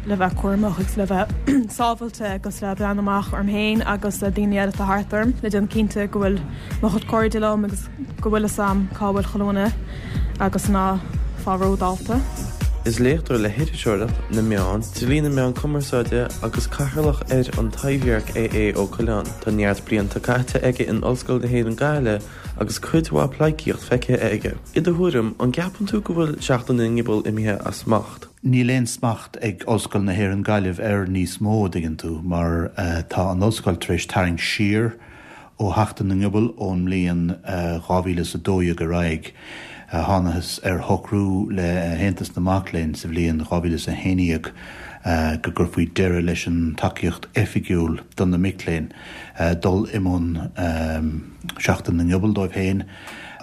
le bheith cúramach agus le bheith sábhailte agus le breathnú amach orm féin agus daoine eile atá thart orm le déanamh cinnte go bhfuil mo chuid cairde liom agus go bhfuil fhios a'm cá bhfuil chuile dhuine agus ná fáil ródhálta. Is léachtóir le hiriseoireacht na meán, dlí na meán cumarsáide agus cathaoirleach ar An Taibhdhearc é Aodh Ó Coileáin. Tá neart blianta caite aige in Ollscoil na hÉireann Gaillimh agus cuid mhaith pleidhcíocht feicthe aige. I do thuairim, an gceapann tú go bhfuil Seachtain na nGiobal imithe as smacht? Níl aon smacht ag Ollscoil na hÉireann Gaillimh air níos mó, a dtuigeann tú, mar tá an ollscoil tar éis tarraingt siar ó Sheachtain na nGiobal ón mbliain 2012 ar aghaidh. Thánathas ar shocrú le hAontas na Mac Léinn sa bhliain 2011 go gcuirfí deireadh leis an tacaíocht oifigiúil do na mic léinn dul i mbun Seachtain na nGiobal dóibh féin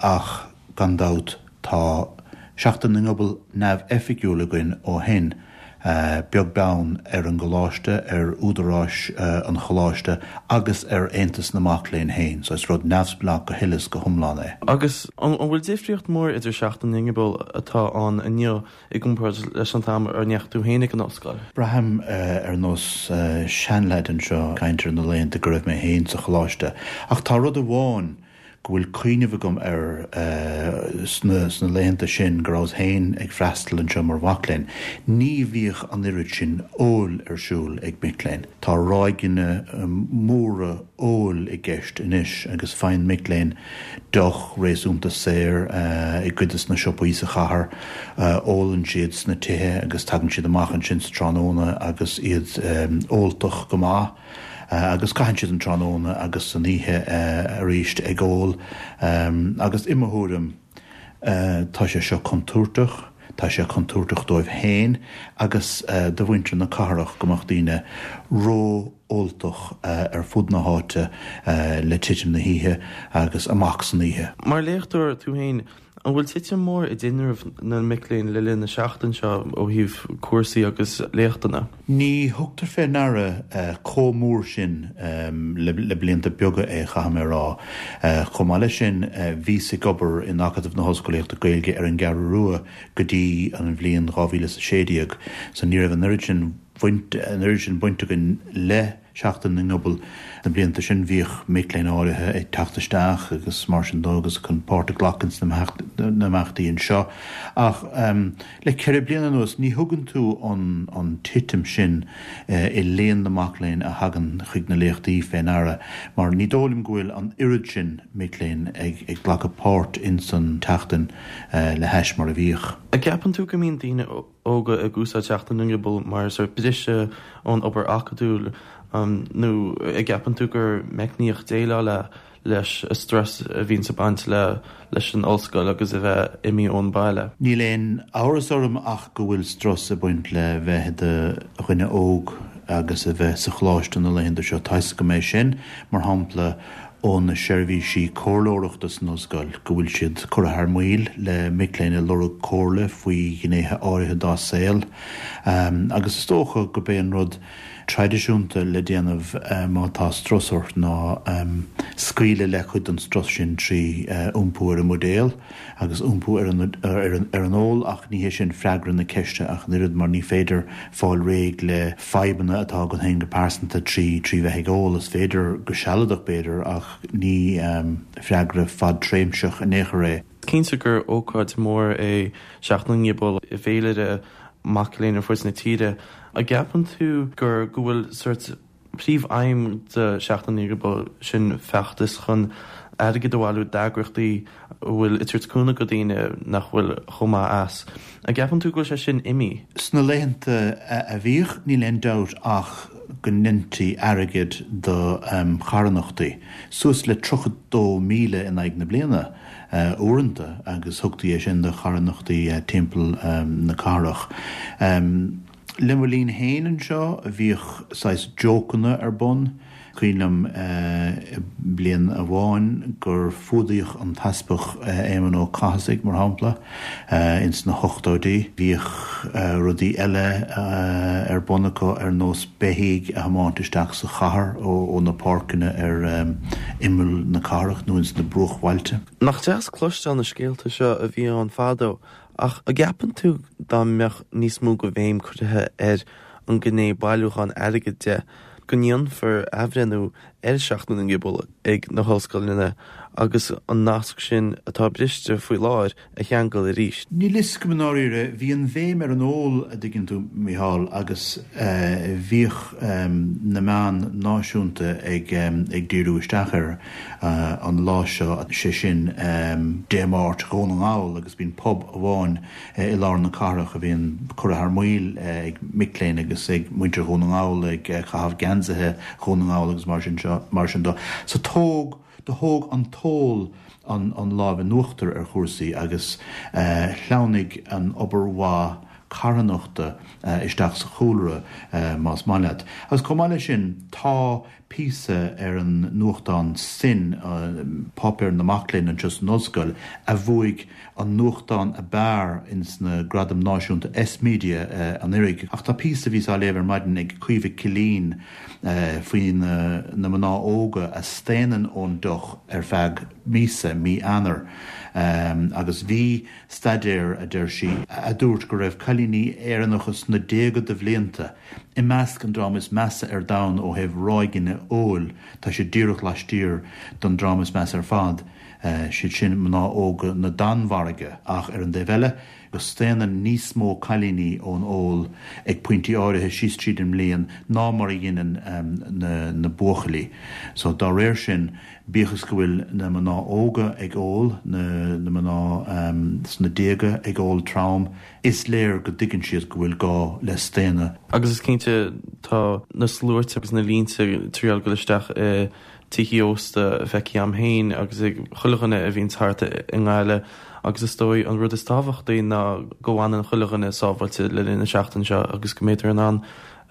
ach gan dabht tá Seachtain na nGiobal neamhoifigiúil againn ó shin, beag beann ar an gcoláiste, ar údaráis an choláiste agus ar Aontas na Mac Léinn féin. So is rud neamhspleách go huile is go hiomlán é. Agus an bhfuil difríocht mhór idir Seachtain na nGiobal atá ann inniu i gcomparáid leis an t-am a ndeachaigh tú féin ag an ollscoil? Braithim ar nós seanleaid anseo ag caint ar na laethanta go raibh mé féin sa choláiste. Ach tá rud amháin go bhfuil cuimhneamh agam air sna laethanta sin go rabhas féin ag freastal anseo mar mhac léinn, ní bhíodh an oiread sin óil ar siúl ag mic léinn. Tá ráigeanna móra óil i gceist anois agus faigheann mic léinn deoch réasúnta saor i gcuid de na siopaí sa chathair. Ólann siad sna tithe agus tagann siad amach ansin sa tráthnóna agus iad óltach go maith. Agus caitheann siad an tráthnóna agus an oíche arís ag ól. Agus i mo thuairim, tá sé seo contúirteach. Tá sé contúirteach dóibh féin agus do mhuintir na cathrach go mbeadh daoine ró. óltach ar fud na háite le titim na hoíche agus amach san oíche. Mar léachtóir tú féin, an bhfuil titim mór i dtinreamh na mic léinn le linn na seachtaine seo ó thaobh cúrsaí agus léachtanna? Ní thugtar fé ndeara chomh mór sin le blianta beaga é, chaithfidh mé a rá. Chomh maith leis sin, bhíos ag obair in Acadamh na hOllscolaíochta Gaeilge ar an gCeathrú Rua go dtí an bhliain 2016, so ní raibh an oiread sin bhaint, an oiread sin baint againn le Seachtain na nGiobal. Na blianta sin bhíodh mic léinn áirithe ag teacht isteach agus mar sin dó agus chun páirt a ghlacadh ins na himeachtaí anseo. Ach le ceithre bliana anuas ní thugann tú an an titim sin i líon na mac léinn a thagann chuig na léachtaí fé ndeara mar ní dóigh liom go bhfuil an oiread sin mic léinn ag ag glacadh páirt ins an tseachtain le hais mar a bhíodh. An gceapann tú go mbíonn daoine óga ag úsáid Seachtain na nGiobal mar sórt briseadh ón obair acadúil nó an gceapann tú gur meicníocht déileáil leis an strus a bhíonns ag baint le leis an ollscoil agus a bheith imithe ón baile? Níl aon amhras orm ach go bhfuil strus ag baint le bheith i do dhuine óg agus a bheith sa choláiste na laethanta seo. Tá 'fhios agam é sin, mar shampla, ó na seirbhísí comhairleoireachta san ollscoil go bhfuil siad curtha thar maoil le mic léinn ag lorg comhairle faoi ghnéithe áirithe dá saol agus is dócha gurb é an rud traidisiúnta le déanamh má tá strus ort ná scaoileadh le cuid den strus sin trí iompú ar an mbuidéal. agus iompú ar an ól ach ní hé sin freagra na ceiste ach an oiread mar ní féidir fáil réidh le fadhbanna atá agat féin go pearsanta trí bheith ag ól. Is féidir go sealadach b'fhéidir ach ní freagra fadtréimhseach in aon chor é. Cinnte gur ócáid mhór é Seachtain na nGiobal i bhféilire mac léinn ar fud na tíre. An gceapann tú gur go bhfuil sórt Príomh-aidhm de Sheachtain na nGiobal sin feachtas chun airgead a bhailiú d'eagraíochtaí a bhfuil ag tabhairt cúnamh go daoine nach bhfuil chomh maith as. An gceapann tú go bhfuil sé sin imithe? Sna laethanta a bhíodh, níl aon dabht ach go ndeintí airgead do charthanachtaí, suas le 32,000 in aghaidh na bliana uaireanta, agus thugtaí é sin do charthanachtaí timpeall na cathrach. Le mo linn féin anseo bhíodh saghas jócanna ar bun. Cuimhin liom bliain amháin gur fuadaíodh an tEaspag Éamonn Ó Cathasaigh, mar shampla, ins na hochtóidí. Bhíodh rudaí eile ar bun acu ar nós beithígh a thiomáint isteach sa chathair ó na páirceanna ar imeall na cathrach nó ins na bruachbhailte. Nach deas cloisteáil na scéalta seo a bhí ann fadó Ach an gceapann tú dá mbeadh níos mó de bhéim curtha ar an ngné bailiúchán airgid de, go ndéanfar athbhreithniú ar Sheachtain na nGiobal ag na hollscoileanna agus an nasc sin atá briste faoi láthair a cheangal arís? Níl fhios agam i ndáiríre. Bhí an bhéim ar an ól, a dtuigeann tú, Mícheál, agus bhíodh na meáin náisiúnta ag díriú isteach air. an lá seo, sé sin Dé Máirt Dhún na nGall agus bíonn pub amháin i lár na cathrach a bhíonn curtha thar maoil ag mic léinn agus ag muintir Dhún na nGall ag caitheamh geansaithe Dhún na nGall agus mar sin seo, mar sin dó. So tóg, do thóg an t-ól an an lámh in uachtar ar chúrsaí agus shleamhnaigh an obair mhaith carthanachta isteach sa chúlra más maith leat. Agus chomh maith leis sin tá píosa ar an nuachtán Sin, páipéar na mac léinn anseo san ollscoil, a bhuaigh an nuachtán ab fhearr ins na Gradaim Náisiúnta S-Media anuraidh. Ach tá píosa a bhíos á léamh ar maidin ag Caoimhe Killeen faoi na mná óga a staonann ón deoch ar feadh míosa, mí Eanáir, agus bhí staidéar, a deir sí, a dúirt go raibh cailíní Éireannacha sna déaga de bhlianta I measc an dream is measa ar domhan ó thaobh ráigeanna óil, tá siad díreach laistiar don dream is measa ar fad, siad sin mná óga na Danmhairge, ach ar an dtaobh eile, go staonann níos mó cailíní ón ól ag pointí áirithe síos tríd an mbliain ná mar a dheineann na buachaillí. So, dá réir sin, bíodh is go bhfuil na mná óga ag ól, na mná sna déaga ag ól trom, Is léir go dtuigeann siad go bhfuil gá le staonadh. Agus is cinnte tá na sluaite agus na línte ag triail dul isteach i tithe ósta feicthe agam féin agus ag chuile dhuine a bhíonns thart i nGaillimh agus is dóigh an rud is tábhachtaí ná go bhfanann chuile dhuine sábháilte le linn na seachtaine seo agus go mbítear in ann.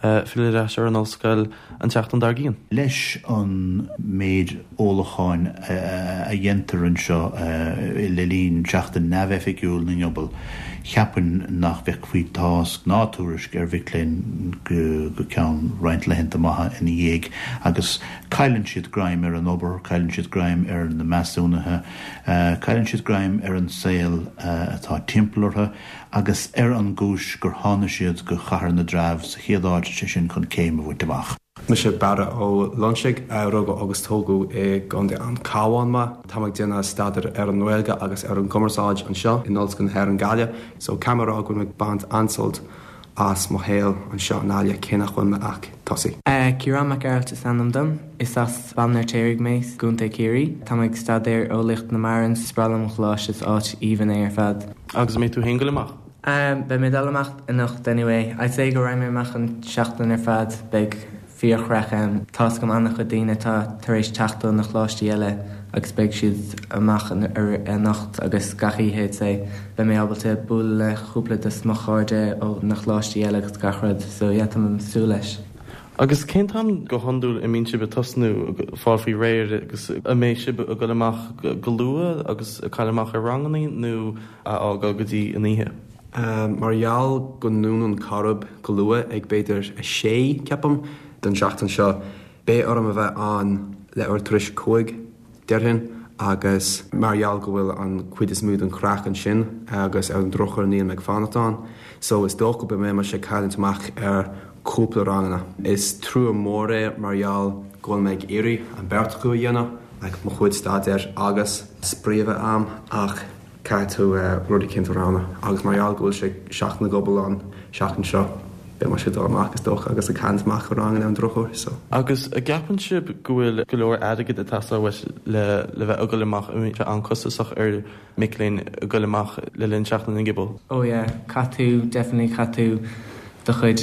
Filleadh ar ais ar an ollscoil an tseachtain dár gcionn. Leis an méid ólacháin a dhéantar anseo le linn Seachtain neamhoifigiúil na nGiobal, cheapfainn nach bhfeicfí tásc ná tuairisc ar mhic léinn go ceann roinnt laethanta maithe ina dhiaidh agus cailleann siad greim ar an obair, cailleann siad greim ar na measúnuithe, cailleann siad greim ar an saol atá timpeall orthu. agus ar an gcúis gur thána siad go Chathair na dTreabh sa chéad áit, sé sin chun céim a bhaint amach. Mise Barra Ó Loinsigh, rugadh agus tógadh i gContae an Chabháin mé. Táim ag déanamh staidéar ar an nGaeilge agus ar an gcumarsáid anseo in Ollscoil na hÉireann Gaillimh. So caithfidh mé a rá go bhfuil mé ag baint an-sult as mo shaol anseo i nGaillimh cé nach bhfuil mé ach tosaí. Ciarán Mac Gearailt is ainm dom. Is as Baile an Fheirtéaraigh mé, i gContae Chiarraí. Tá mé ag staidéar Eolaíocht na Mara. Is breá liom an choláiste, is áit aoibhinn é ar fad. Agus an mbeidh tú féin ag goil amach? Beidh mé ag dul amach anocht anyway. I'd say go raghaidh mé amach an seachtain ar fad. Beidh fíorchraic ann. Tá's agam an-chuid daoine atá tar éis teacht ó na choláistí eile agus beidh siad amach anocht agus gach oíche I'd say. Beidh mé ábalta bualadh le cúpla de mo chairde ó na choláistí eile agus gach rud so yeah tá mé ag súil leis. Agus cén t-am go hiondúil a mbíonn sibh ag tosnú ag fáil faoi réir agus an mbeidh sibh ag dul amach go luath agus ag cailleadh amach ar rangannaí nó a fhágáil go dtí an oíche? Mar gheall go ndúnann Corrib go luath ag b'fhéidir a sé, ceapaim, don seachtain seo, beidh orm a bheith ann leathuair tar éis a 5, déarfainn, agus mar gheall go bhfuil an cuid is mó den chraic ansin agus ar an drochuair níl mé ag fanacht ann so is dócha go mbeidh mise ag cailliúint amach ar cúpla ranganna. Is trua mór é mar gheall go bhfuil mé ag iarraidh an beirt acu a dhéanamh, like mo chuid staidéir agus spraoi a bheith a'm ach caithfidh tú rud eicínt a roghnú agus mar gheall go bhfuil sé Seachtain na nGiobal an seachtain seo, beidh mise ag dul amach is dócha agus ag cailliúint amach ar ranganna ar an drochuair so. Agus an gceapann sibh go bhfuil go leor airgid ag teastáil uait le le bheith ag dul amach, an mbíonn sé an-costasach ar mic léinn ag dul amach le linn Seachtain na nGiobal? Oh yeah, caithfidh tú, definitely caithfidh tú do chuid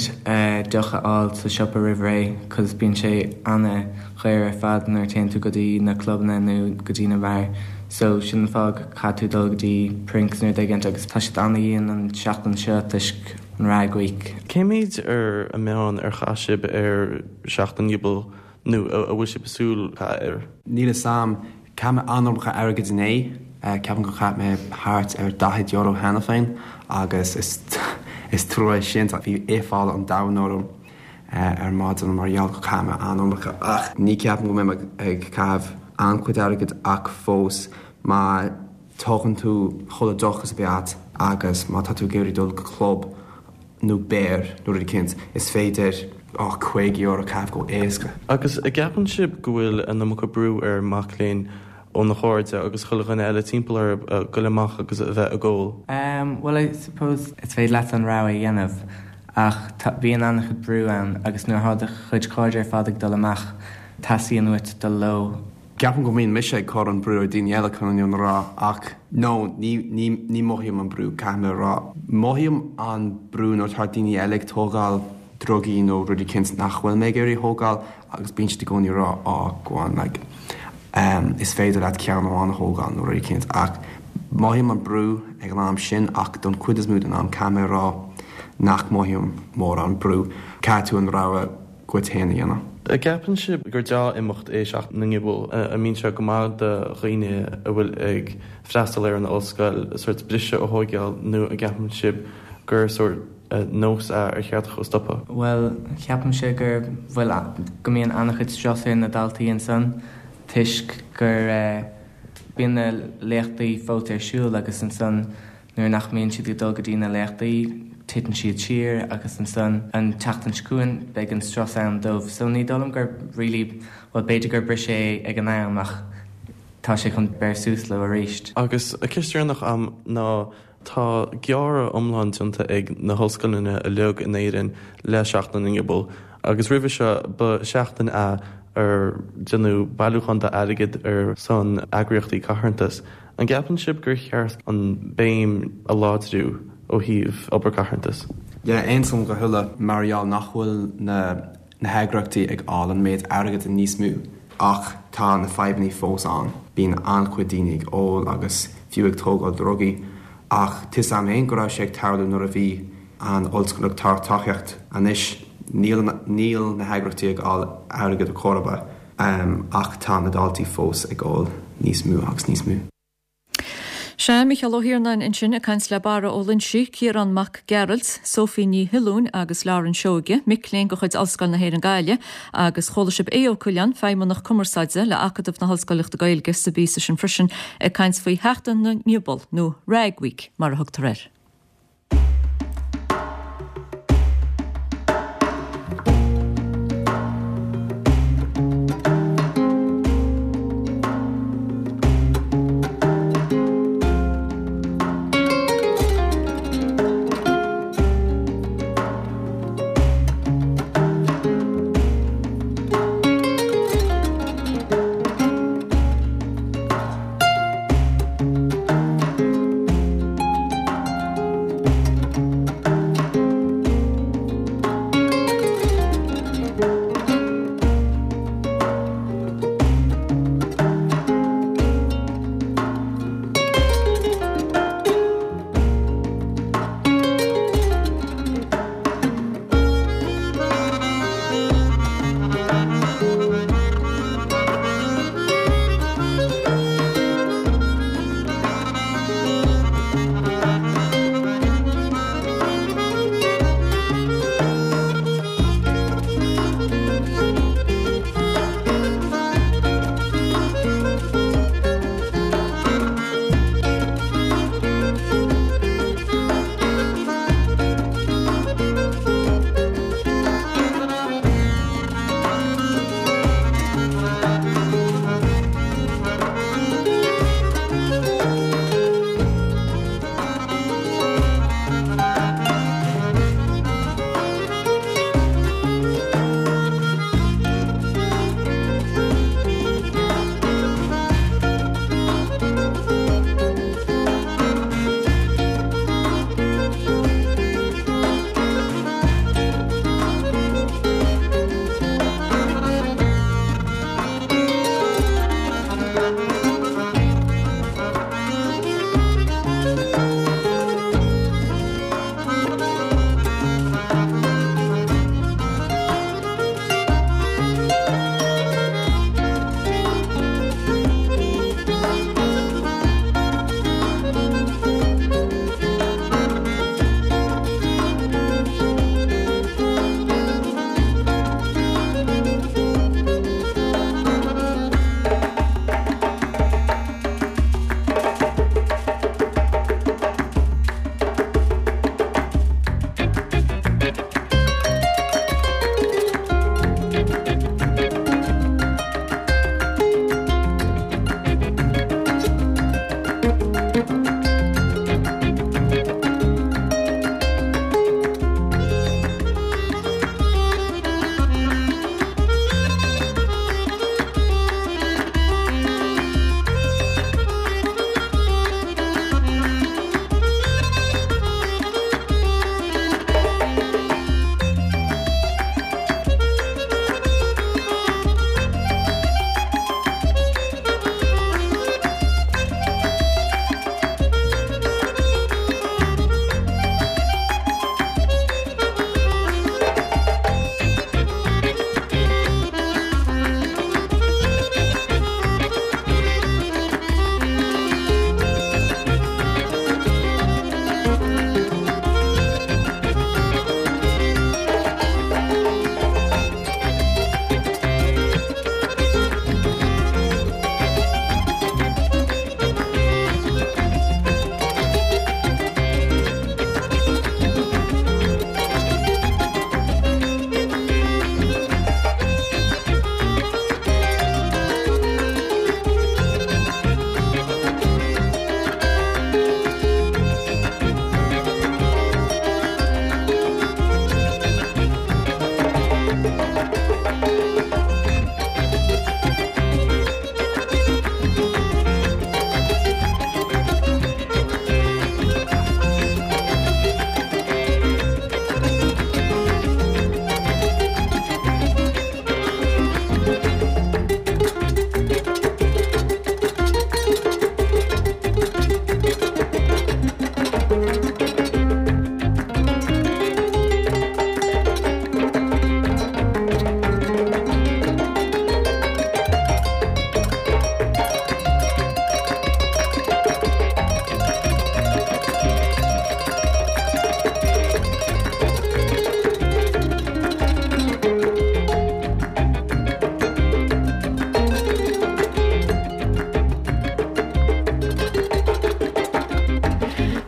deoch a fháil sa siopa roimh ré cos bíonn sé ana-dhaor ar fad nuair a téann tú go dtí na clubanna nó go dtí na beáir so sin an fáth go caithfidh tú dul go dtí Prinks nó rud éigint agus tá siad ana-dhian an seachtain seo toisc an Rag Week. Cén méid ar an meán ar chaith sibh ar Sheachtain na nGiobal nó a bhfuil sibh ag súil caitheamh air? Níl 'fhios a'm. Chaith mé an-iomarca airgid inné. Ceapaim gur chaith mé thart ar €40 cheana féin agus is trua é sin. Bhí aiféala an domhain orm ar maidin mar gheall gur chaith mé an-iomarca. Ach ní ceapaim go mbeidh mé ag caitheamh an-chuid airgid ach fós má tógann tú chuile deoch is a bheith a't agus má tá tú ag iarraidh dul go club nó beár nó rud eicínt, is féidir €50 a chaitheamh go éasca. Agus an gceapann sibh go bhfuil an iomarca brú ar mac léinn óna chairde agus chuile dhuine eile timpeall orthu a ghoil amach agus a bheith ag ól? Em, bhuel I suppose is féidir leat an rogha a dhéanamh ach tá, bíonn an-chuid brú ann agus nuair atá do chuid cairde ar fad ag dul amach teastaíonn uait dul leo. Ceapaim go mbíonn mise ag cur an brú ar daoine eile chun an fhírinne a rá ach no ní ní ní mothaím an brú caithfidh mé a rá. Mothaím an brú nuair atá daoine eile ag tógáil drugaí nó rud eicínt nach bhfuil mé ag iarraidh a thógáil agus bíonn siad i gcónaí ag rá oh go on like em is féidir leat ceann amháin a thógáil nó rud eicínt ach mothaím an brú ag an am sin ach don chuid is mó den am caithfidh mé a rá nach mothaím mórán brú. Caithfidh tú an rogha dhuit féin a dhéanamh. An gceapann sibh gur dea-imeacht é Seachtain na nGiobal? An mbíonn sé go maith do dhaoine a bhfuil ag freastal ar an ollscoil sórt briseadh a thóigeáil nó an gceapann sibh gur sórt nós é ar cheart dhó stopadh? Bhuel, ceapaimse gur, bhuel, go mbíonn an-chuid strus ar na daltaí ansan toisc gur bíonn na léachtaí fós ar siúl agus ansan Nuair nach mbíonn siad ag dul go dtí na léachtaí, titeann siad siar agus ansan an tseachtain seo chugainn beidh an strus ann dóibh. So ní dóigh liom gur really, bhuel b'fhéidir gur briseadh é ag an am ach tá sé chun beir suas leo arís. Agus ceist dheireanach a'm ná tá gearradh iomlán déanta ag na hollscoileanna uilig in Éirinn le Seachtain na nGiobal agus roimhe seo ba sheachtain é ar déanadh bailiúchán d'airgead ar son eagraíochtaí carthanais. An gceapann sibh gur cheart an béim a láidriú ó thaobh obair carthanais? Yeah, aontaím go huile mar gheall nach bhfuil na na heagraíochtaí ag fháil an méid airgead níos mó ach tá na fadhbanna fós ann. Bíonn an-chuid daoine ag ól agus fiú ag tógáil drugaí ach tá 'fhios a'm féin go raibh sé ag tarlú nuair a bhí an ollscoil ag tabhairt tacaíocht. Anois. Níl níl na heagraíochtaí ag fháil airgead ar chor ar bith ach tá na daltaí fós ag ól níos mó agus níos mó. Sea, Mícheál Ó hIarnáin ansin ag caint le Barra Ó Loinsigh, Ciarán Mac Gearailt, Sophie Ní Shuilleabháin agus Lauren Seoige, mic léinn de chuid Ollscoil na hÉireann Gaillimh, agus chuala sibh Aodh Ó Coileáin, Feidhmeannach Cumarsáide le Acadamh na hOllscoileachta Gaeilge sa bpíosa sin freisin, ag caint faoi Sheachtain na nGiobal, nó Rag Week mar a thugtar air.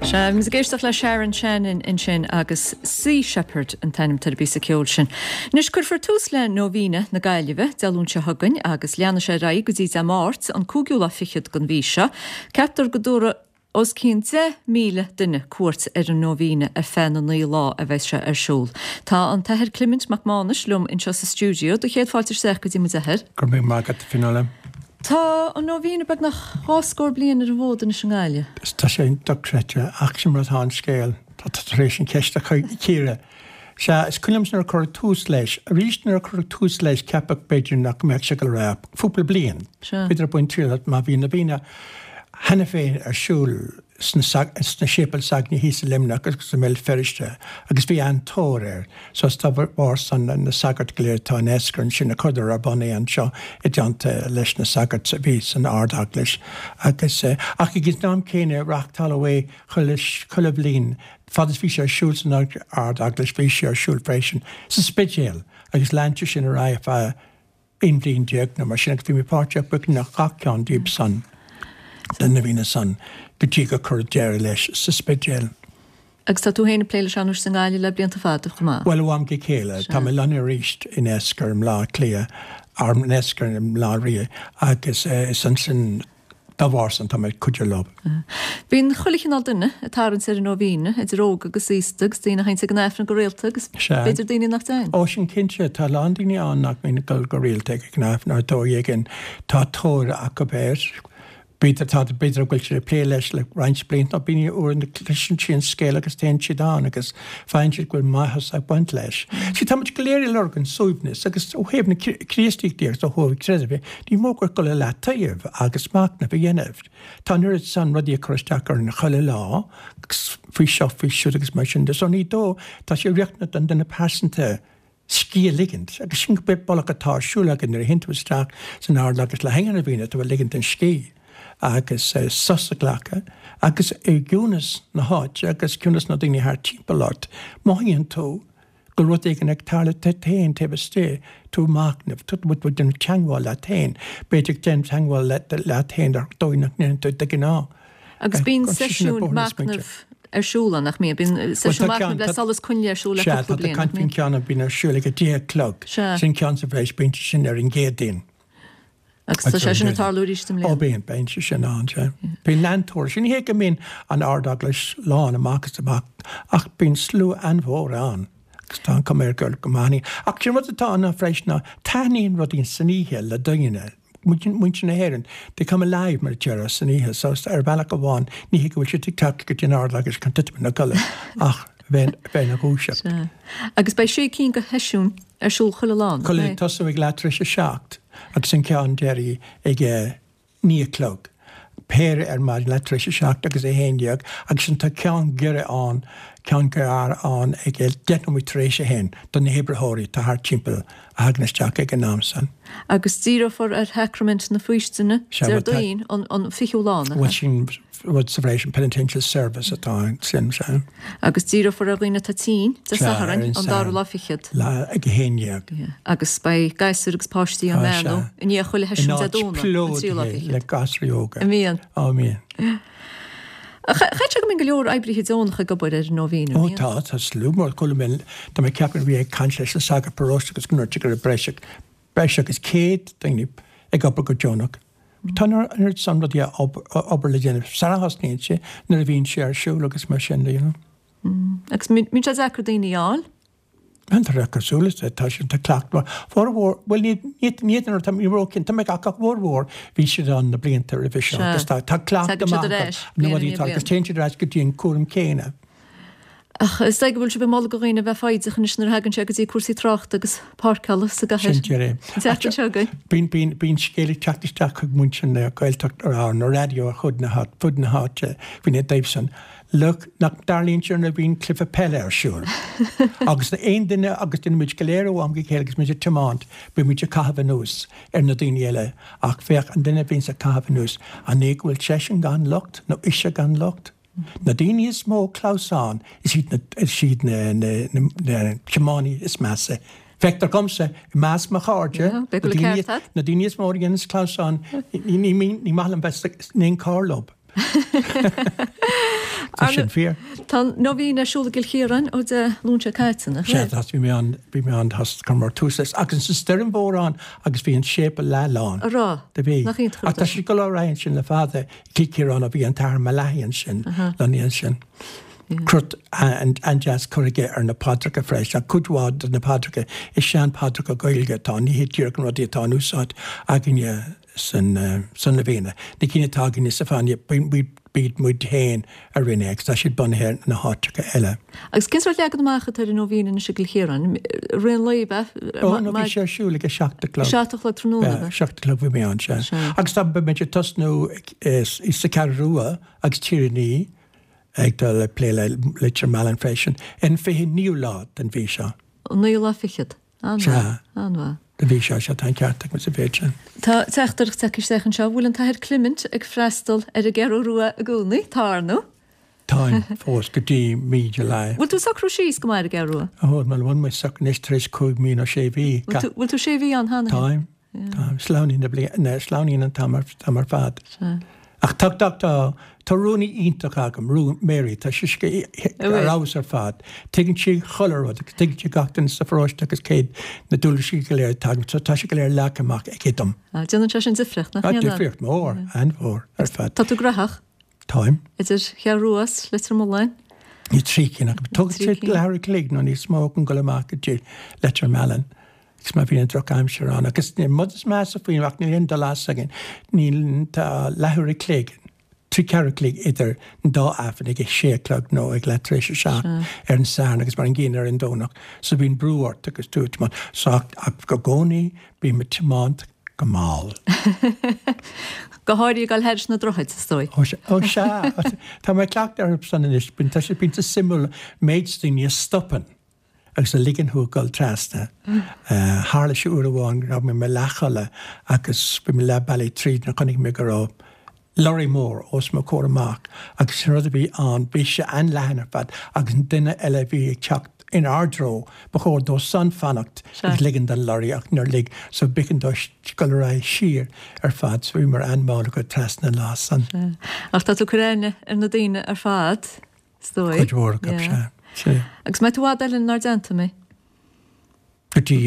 Sea, bhí muid ag éisteacht le Sharon Shannon ansin agus Sea Shepherd an t-ainm atá ar an bpíosa ceoil sin. Anois, cuirfear tús le Nóibhíne na Gaillimhe Dé Luain seo chugainn agus leanfaidh sé ar aghaidh go dtí Dé Máirt, an cúigiú lá fichead den mhí seo. Ceaptar go dtabharfaidh os cionn 10,000 duine cuairt ar an Nóibhíne ar feadh na naoi lá a bheas sé ar siúl. Tá an tAthair Clement Mac Mánais liom anseo sa stiúideo. Do chéad fáilte isteach go dtí muid, a Athair. Go raibh míle maith agat, a Fionnuala. Tá an Nóibhíne beagnach dhá scór bliain ar an bhfód anois i nGaillimh. Tá sé dochreidte, ach sin mar atá an scéal. Tá tú tar éis an cheist a chíoradh. Sea, is cuimhin liomsa nuair a cuireadh tús leis. Arís nuair a cuireadh tús leis ceapadh b'fhéidir nach mbeadh sé ag dul ar aghaidh ach cúpla bliain. B'fhéidir ag baint triail as mar bhí an Nóibhíne cheana féin ar siúl sna séipéil s'againne thíos i Luimneach agus i mBéal Feirste agus bhí an-tóir air. So is dá bharr san na sagairt go léir atá in Eascair ansin a chuireadar ar bun é anseo i dteannta leis na sagairt a bhí san Ard-Eaglais agus ach ag an am céanna reáchtáladh é chuile chuile bhliain fad is bhí sé ar siúl san Ard-Eaglais bhí sé ar siúl freisin sa Spidéal agus lean sé sin ar aghaidh ar feadh 11 bhliain nó mar sin agus bhí mé páirteach beagnach gach ceann díobh san, na nóibhíní san, go dtí gur cuireadh deireadh leis sa Spidéal. Agus tá tú féin ag plé leis anois i nGaillimh le blianta fada chomh maith. Bhuel, ó am go chéile. Tá mé lonnaithe arís in Eascar i mBleá Cliath, or in Eascar i mBleá Rí agus is ansin, Dá bharr san, tá mé ag cuidiú leo. Bíonn chuile chineál duine ag tarraingt ar an Nóibhíne, idir óg agus aosta, agus daoine a théanns ag an Aifreann go rialta agus b'fhéidir daoine nach dtéann. Ó, sin cinnte. Tá a lán daoine ann nach mbíonn ag dul go rialta ag an Aifreann ar dóigh éigin. Tá tóir acu air. B'fhéidir, tá, b'fhéidir go bhfuil siad ag plé leis le roinnt blianta nó bíonn uaireanta cloiseann siad an scéal agus téann siad ann agus faigheann siad go bhfuil maitheas ag baint leis. Sea, tá muid go léir ag lorg an suaimhneas agus ó thaobh na Críostaíochta agus ó thaobh creidimh de, ní mór gur dul i leataobh agus machnamh a dhéanamh. Tá an oiread san rudaí ag cur isteach orainn chuile lá, faoi seo, faoi siúd agus mar sin de. So ní dóigh, tá sé riachtanach don duine pearsanta scíth a ligint agus sin go bealach atá ar siúl againn nuair a théann tú isteach san Ard-Eaglais le haghaidh an Nóibhíne, tú ag ligint an scíth agus sos a ghlacadh agus i gciúnas na háite agus ciúnas na daoine thart timpeall ort, mothaíonn tú go bhfuil rud éigin ag tarlú duit féin taobh istigh, tú ag machnamh, tú ag déanamh teagmháil leat féin, b'fhéidir ag déanamh teagmháil leat féin ar dhóigh nach ndéanann tú de ghnáth. Agus bíonn seisiún machnaimh ar siúl ann, nach mbíonn? Bíonn seisiún machnaimh le solas coinnle ar siúl le cúpla bliain, nach mbíonn? Sea, tá ceann a bhíonn ar siúl ag a deich a chlog. Sin ceann sa bhreis, bíonn sé sin ar an gCéadaoin. Agus tá sé sin ag tarlú arís i mbliana? Ó bíonn, bíonn sé sin ann, sea. Bíonn an-tóir. Sin ní hé go mbíonn an Ard-Eaglais lán amach is amach ach bíonn slua an-mhór ann agus tá an chuma air go go maith. Ach sin rud atá ann freisin ná taitníonn rudaí san oíche le daoine, muintir na hÉireann, they come alive mar a déarfá san oíche so ar bhealach amháin ní hé go bhfuil siad ag teacht go dtí an Ard-Eaglais chun titim ina gcodladh ach bheith ina dhúiseacht. Sea. Agus beidh sé cinn de sheisiúin ar siúl chuile lá, nach mbeidh? Chuile, tosú ag leath tar éis a 7 agus an ceann deiridh ag a 9 a chlog. Péire ar maidin, leath tar éis a 7 agus a 11 agus ansin tá ceann giorra ann, ceann gearr ann ag 10 nóiméad tar éis a 1 do na hoibritheoirí atá thart timpeall a thagann isteach ag an am san. Agus díreofar ar Shacraimint na Faoistine Déardaoin an 20ú lá, nach ea? Bhuel sin rud sa bhreis, an Penitential Service atá ansin, sea. Agus díreofar ar dhaoine atá tinn Dé Sathairn an dara lá fichead. Lá ag a haon dhéag. Agus beidh gasúir agus páistí á mbeannú i ndiaidh chuile sheisiún Dé Domhnaigh, an tríú lá fichead. Le gasúirí óga. An mbíonn? Á mbíonn. Chaithfeadh sé go mbíonn go leor oibrithe deonacha ag obair ar an Nóibhín, an mbíonn? Ó tá, tá slua mór. Chuala mé, tá mé ag ceapadh bhí ag caint leis an sagart paróiste agus go ndúirt sé go raibh breis breis agus 100 daoine ag obair go deonach. Tá an oiread san rudaí obair le déanamh sara thosnaíonn sé, nuair a bhíonn sé ar siúl agus mar sin de, you know. Agus mbíonn sé deacair daoine a fháil? An tá cosúil is tá sin tá cleachtadh mar formhór, bhuel ní ní ní ní tá ní raibh cinnte mé ach ach formhór bhí siad ann na blianta roimhe seo agus tá tá cleachtadh maith acu na rudaí atá agus téann siad ar ais go dtí an cúram céanna. Ach is dóigh go bhfuil sibh ag moladh do dhaoine a bheith foighdeach anois nuair a thagann sé go dtí cúrsaí tráchta agus páirceála sa gcathair. Sin díreach é. An tseachtain seo chugainn. Bíonn bíonn bíonn scéal ag teacht isteach chuig muintir na Gaeltachta ar an raidió ar fud na fud na háite faoina dtaobh san. Look, nach dtarlaíonn sé nuair a bhíonn cluiche peile ar siúl. Agus aon duine, agus déanann muid go léir ó am go chéile agus muid ag tiomáint, bíonn muid ag caitheamh anuas ar na daoine eile, ach féach, an duine a bhíonns ag caitheamh anuas, an é go bhfuil seisean gan locht nó ise gan locht? Na daoine is mó clamhsán, is iad na, is iad na, na, na, na tiománaithe is measa. Feictear dhomsa, i measc mo chairde, na daoine, na daoine is mó a dhéananns clamhsán, ní, ní, ní maith liom bheith in aon carr leo. Tá sin fíor. Tá an Nóibhín ar siúl i gCill Chiaráin ó Dé Luain seo caite, nach Sea, tá, bhí mé ann, bhí mé ann, tá, chuireamar tús leis agus an stoirm mhór ann agus bhí an séipéal leath-lán. A raibh? Do bhí. Nach iontach an Ach rud tá é sé ag dul ar aghaidh ansin le fada i gCill Chiaráin ó bhí an tAthair Malachi ansin, lonnaithe ansin. Crot an-deas curtha aige ar na paidreacha freisin, ach cuid mhaith de na paidreacha, is sean-phaidreacha Gaeilge atá ann, ní hiad díreach na rudaí atá in úsáid againne san Nóibhéine. Na cinn atá againne sa Fáinne, b'iad muid féin a rinne é agus tá siad bunaithe ar na háiteacha eile. Agus cén sórt leagan amach atá ar an Nóibhín anois i gCill Chiaráin? Rith an lae, ab ea? Ó, no, bhí sé ar siúl ag a 7 a chlog. 7 a chlog tráthnóna, ab ea? 7 a chlog bhí mé ann, sea. Agus tá, beidh muid ag tosnú sa Cheathrú Rua agus Tír an Fhia ag dul ag plé le Leitir Mealláin freisin ar an 29ú lá den mhí seo. An naoú lá fichead. An-mhaith. An-mhaith. Den mhí seo, sea, tá an ceart agat sa mhéid sin. Tá teachtaireacht tagtha isteach anseo. Bhfuil an tAthair Clement ag freastal ar an gCeathrú Rua i gcónaí? Tá, ar ndóigh. Táim fós go dtí mí July. Bhfuil tú socrú síos go maith ar an gCeathrú Rua? Ó, bhuel, bhfuil mé socraithe anois tar éis cúig mhí nó sé mhí. Bhfuil tú sé mhí ann cheana? Táim. Tá, sleamhnaíonn na blianta, sleamhnaíonn an t-am ar fad. Sea. Ach tá, tá, tá, tá rúnaí iontach agam, rún, Mary, tá sise ar fheabhas ar fad. Tuigeann sí chuile rud agus tuigeann sí gach duine sa pharóiste agus céard na dualgaisí go léir atá agam, so tá sé go léir leagtha amach aici dom. Déanann sé sin difríocht, nach ndéanann? Tá difríocht mhór, an-mhór ar fad. Tá tú graitheach? Táim. Idir Cheathrú Rua is Leitir Mealláin? Ní trí cinn acu. Tógann sé leathuair a chloig nó níos mó chun dul amach go dtí Leitir Mealláin agus má bhíonn an drochaimsir ann. Agus an rud is measa faoi ach níl aon dul as againn, níl, tá leathuair a chloig, trí ceathrú a chloig idir an dá Aifreann ag a sé a chlog nó ag leath tar éis a seacht ar an Satharn agus mar an gcéanna ar an Domhnach. So bíonn brú ort agus tú ag tiomáint. So ach i gcónaí bím ag tiomáint go mall. Go háirithe ag dul thairis na droichid, is dóigh. Ó sea, tá mé cleachta orthu san anois. Tá sé bíonn sé suimiúil méid daoine a stopann agus a ligeann thú ag dul trasna. Tharla sé uair amháin go raibh mé i mo leathchodladh agus bhí mé leath bealaigh tríd nuair a chonaic mé go raibh lorry mór os mo chomhair amach agus an rud a bhí ann, bhí sé an-leathan ar fad agus an duine eile a bhí ag teacht in ár dtreo, ba chóir dó san fanacht agus ligean don lorry ach níor lig so b'éigean dó dul ar aghaidh siar ar fad so bhíomar an-mhall ag dul trasna an lá san. Ach tá tú ag cur aithne ar na daoine ar fad, is dóigh. Cuid mhór acu, sea. Sea. Agus mbeidh tú i bhfad eile inár dteannta, mbeidh? Go dtí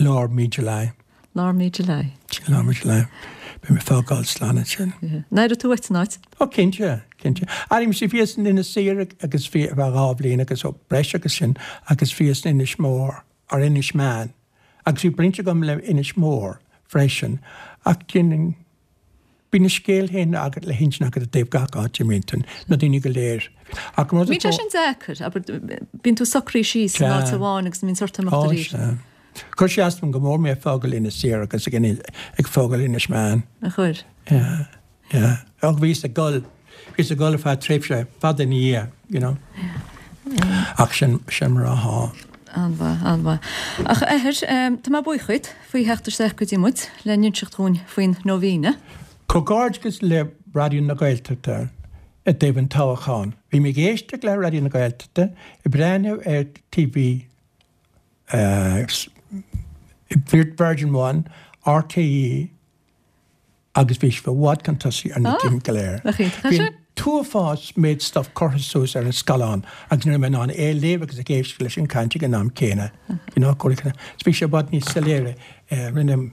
lár mí July. Lár mí July. Lár mí July. Beidh mé ag fágáil slán ansin. An aireoidh tú uait an áit? Ó cinnte, cinnte. Airím-se, bhíos in Inis Oírr agus bhí ar feadh 2 bhliain agus ó breis agus sin agus bhíos in Inis Mór, or Inis Meáin. Agus bhí baint agam le Inis Mór freisin ach déanann Bíonn a scéal féin agat le hinsint agat i dtaobh gach áit a mbíonn tú, na daoine go léir. Ach an rud is Bíonn sé sin deacair, abair, bíonn tú socraithe síos in áit amháin agus bíonn ort imeacht Ó, arís. sea. Chuir sé as dom go mór mé ag fágáil Inis Oírr agus ag ag fágáil Inis Meáin. A chuir? Yeah, yeah. Ach bhíos ag dul, bhíos ag dul ar feadh tréimhse fada ina dhiaidh, you know. Ach sin, sin mar athá. An-mhaith, an-mhaith. Ach a Athair, tá mé buíoch dhuit faoi theacht isteach go dtí muid le n-inseacht dhúinn faoin Nóibhíne. Comhghairdeachas le Raidió na Gaeltachta i dtaobh an toghcháin. Bhí mé ag éisteacht le Raidió na Gaeltachta, ag breathnú ar TV Virgin One, RTÉ, agus bhí sibh i bhfad chun tosaigh ar na cinn go léir. Bhí an t-uafás méid stuff curtha suas ar an scaileán agus ní raibh mé in ann é a léamh agus ag éisteacht leis an caint ag an am céanna. You know, bhí sé i bhfad níos soiléire. Rinne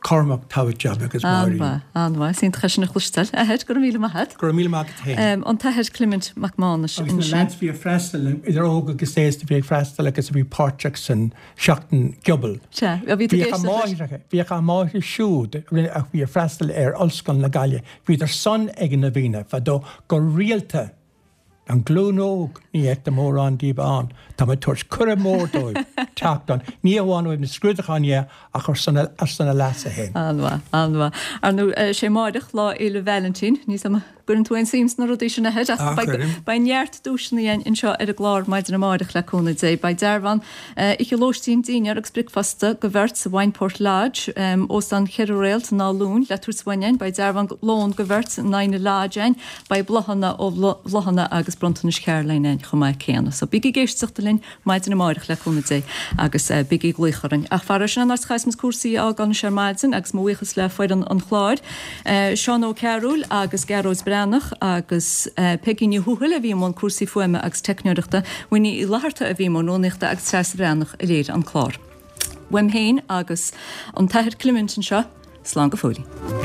Cormac togha job agus Máirín. An-mhaith, an-mhaith. Is iontach é sin a chloisteáil. A Athair, go raibh míle maith agat. Go raibh míle maith agat féin. An tAthair Clement Mac Mánais ansin. Agus na lads a bhí ag freastal, idir óg agus aosta, a bhí ag freastal agus a bhí páirteach san Seachtain Ghiobal. Sea, bhí tú ag éisteacht leis. Bhíodh a máithreacha siúd a bhí ag freastal ar Ollscoil na Gaillimhe, bhíodar san ag an Nóibhíne fadó go rialta. An glúin óg, ní fheictear mórán díobh ann. Tá mé ag tabhairt cuireadh mór dóibh teacht ann, ní amháin ó thaobh na scrúdúcháin dhe ach ar son a leasa féin. An-mhaith, an-mhaith. Ar ndóigh, sé amáireach Lá Fhéile Vailintín. Níl 's a'm an gcuireann tú aon suim sna rudaí sin, a Athair, ach beidh, beidh neart duaiseanna againn anseo ar an gclár maidin amáireach le cúnamh Dé. Beidh dearbhán, oíche lóistín, dinnéar agus bricfeasta do bheirt sa Wineport Lodge, óstán cheithre réalt in Áth Luain le tabhairt uainn againn. Beidh dearbhán lón do bheirt in Inagh Lodge againn. Beidh bláthanna ó Bhláthanna agus bronntanais Charoline againn chomh maith céanna. So bígí ag éisteacht linn maidin amáireach le cúnamh Dé agus bígí ag glaoch orainn. Ach faraor sin an áit a chaithfeas muid cúrsaí a fhágáil anois ar maidin agus mo bhuíochas le foireann an chláir, Seán Ó Cearúil agus Gearóid Breathnach. Breathnach agus Peigí Ní Thuathail a bhí i mbun cúrsaí fuaime agus teicneoireachta, Winnie Uí Fhlatharta a bhí i mbun rúnaíochta agus Treasa Bhreathnach a léirigh an clár. Uaim féin agus an tAthair Clement anseo, slán go fóillín.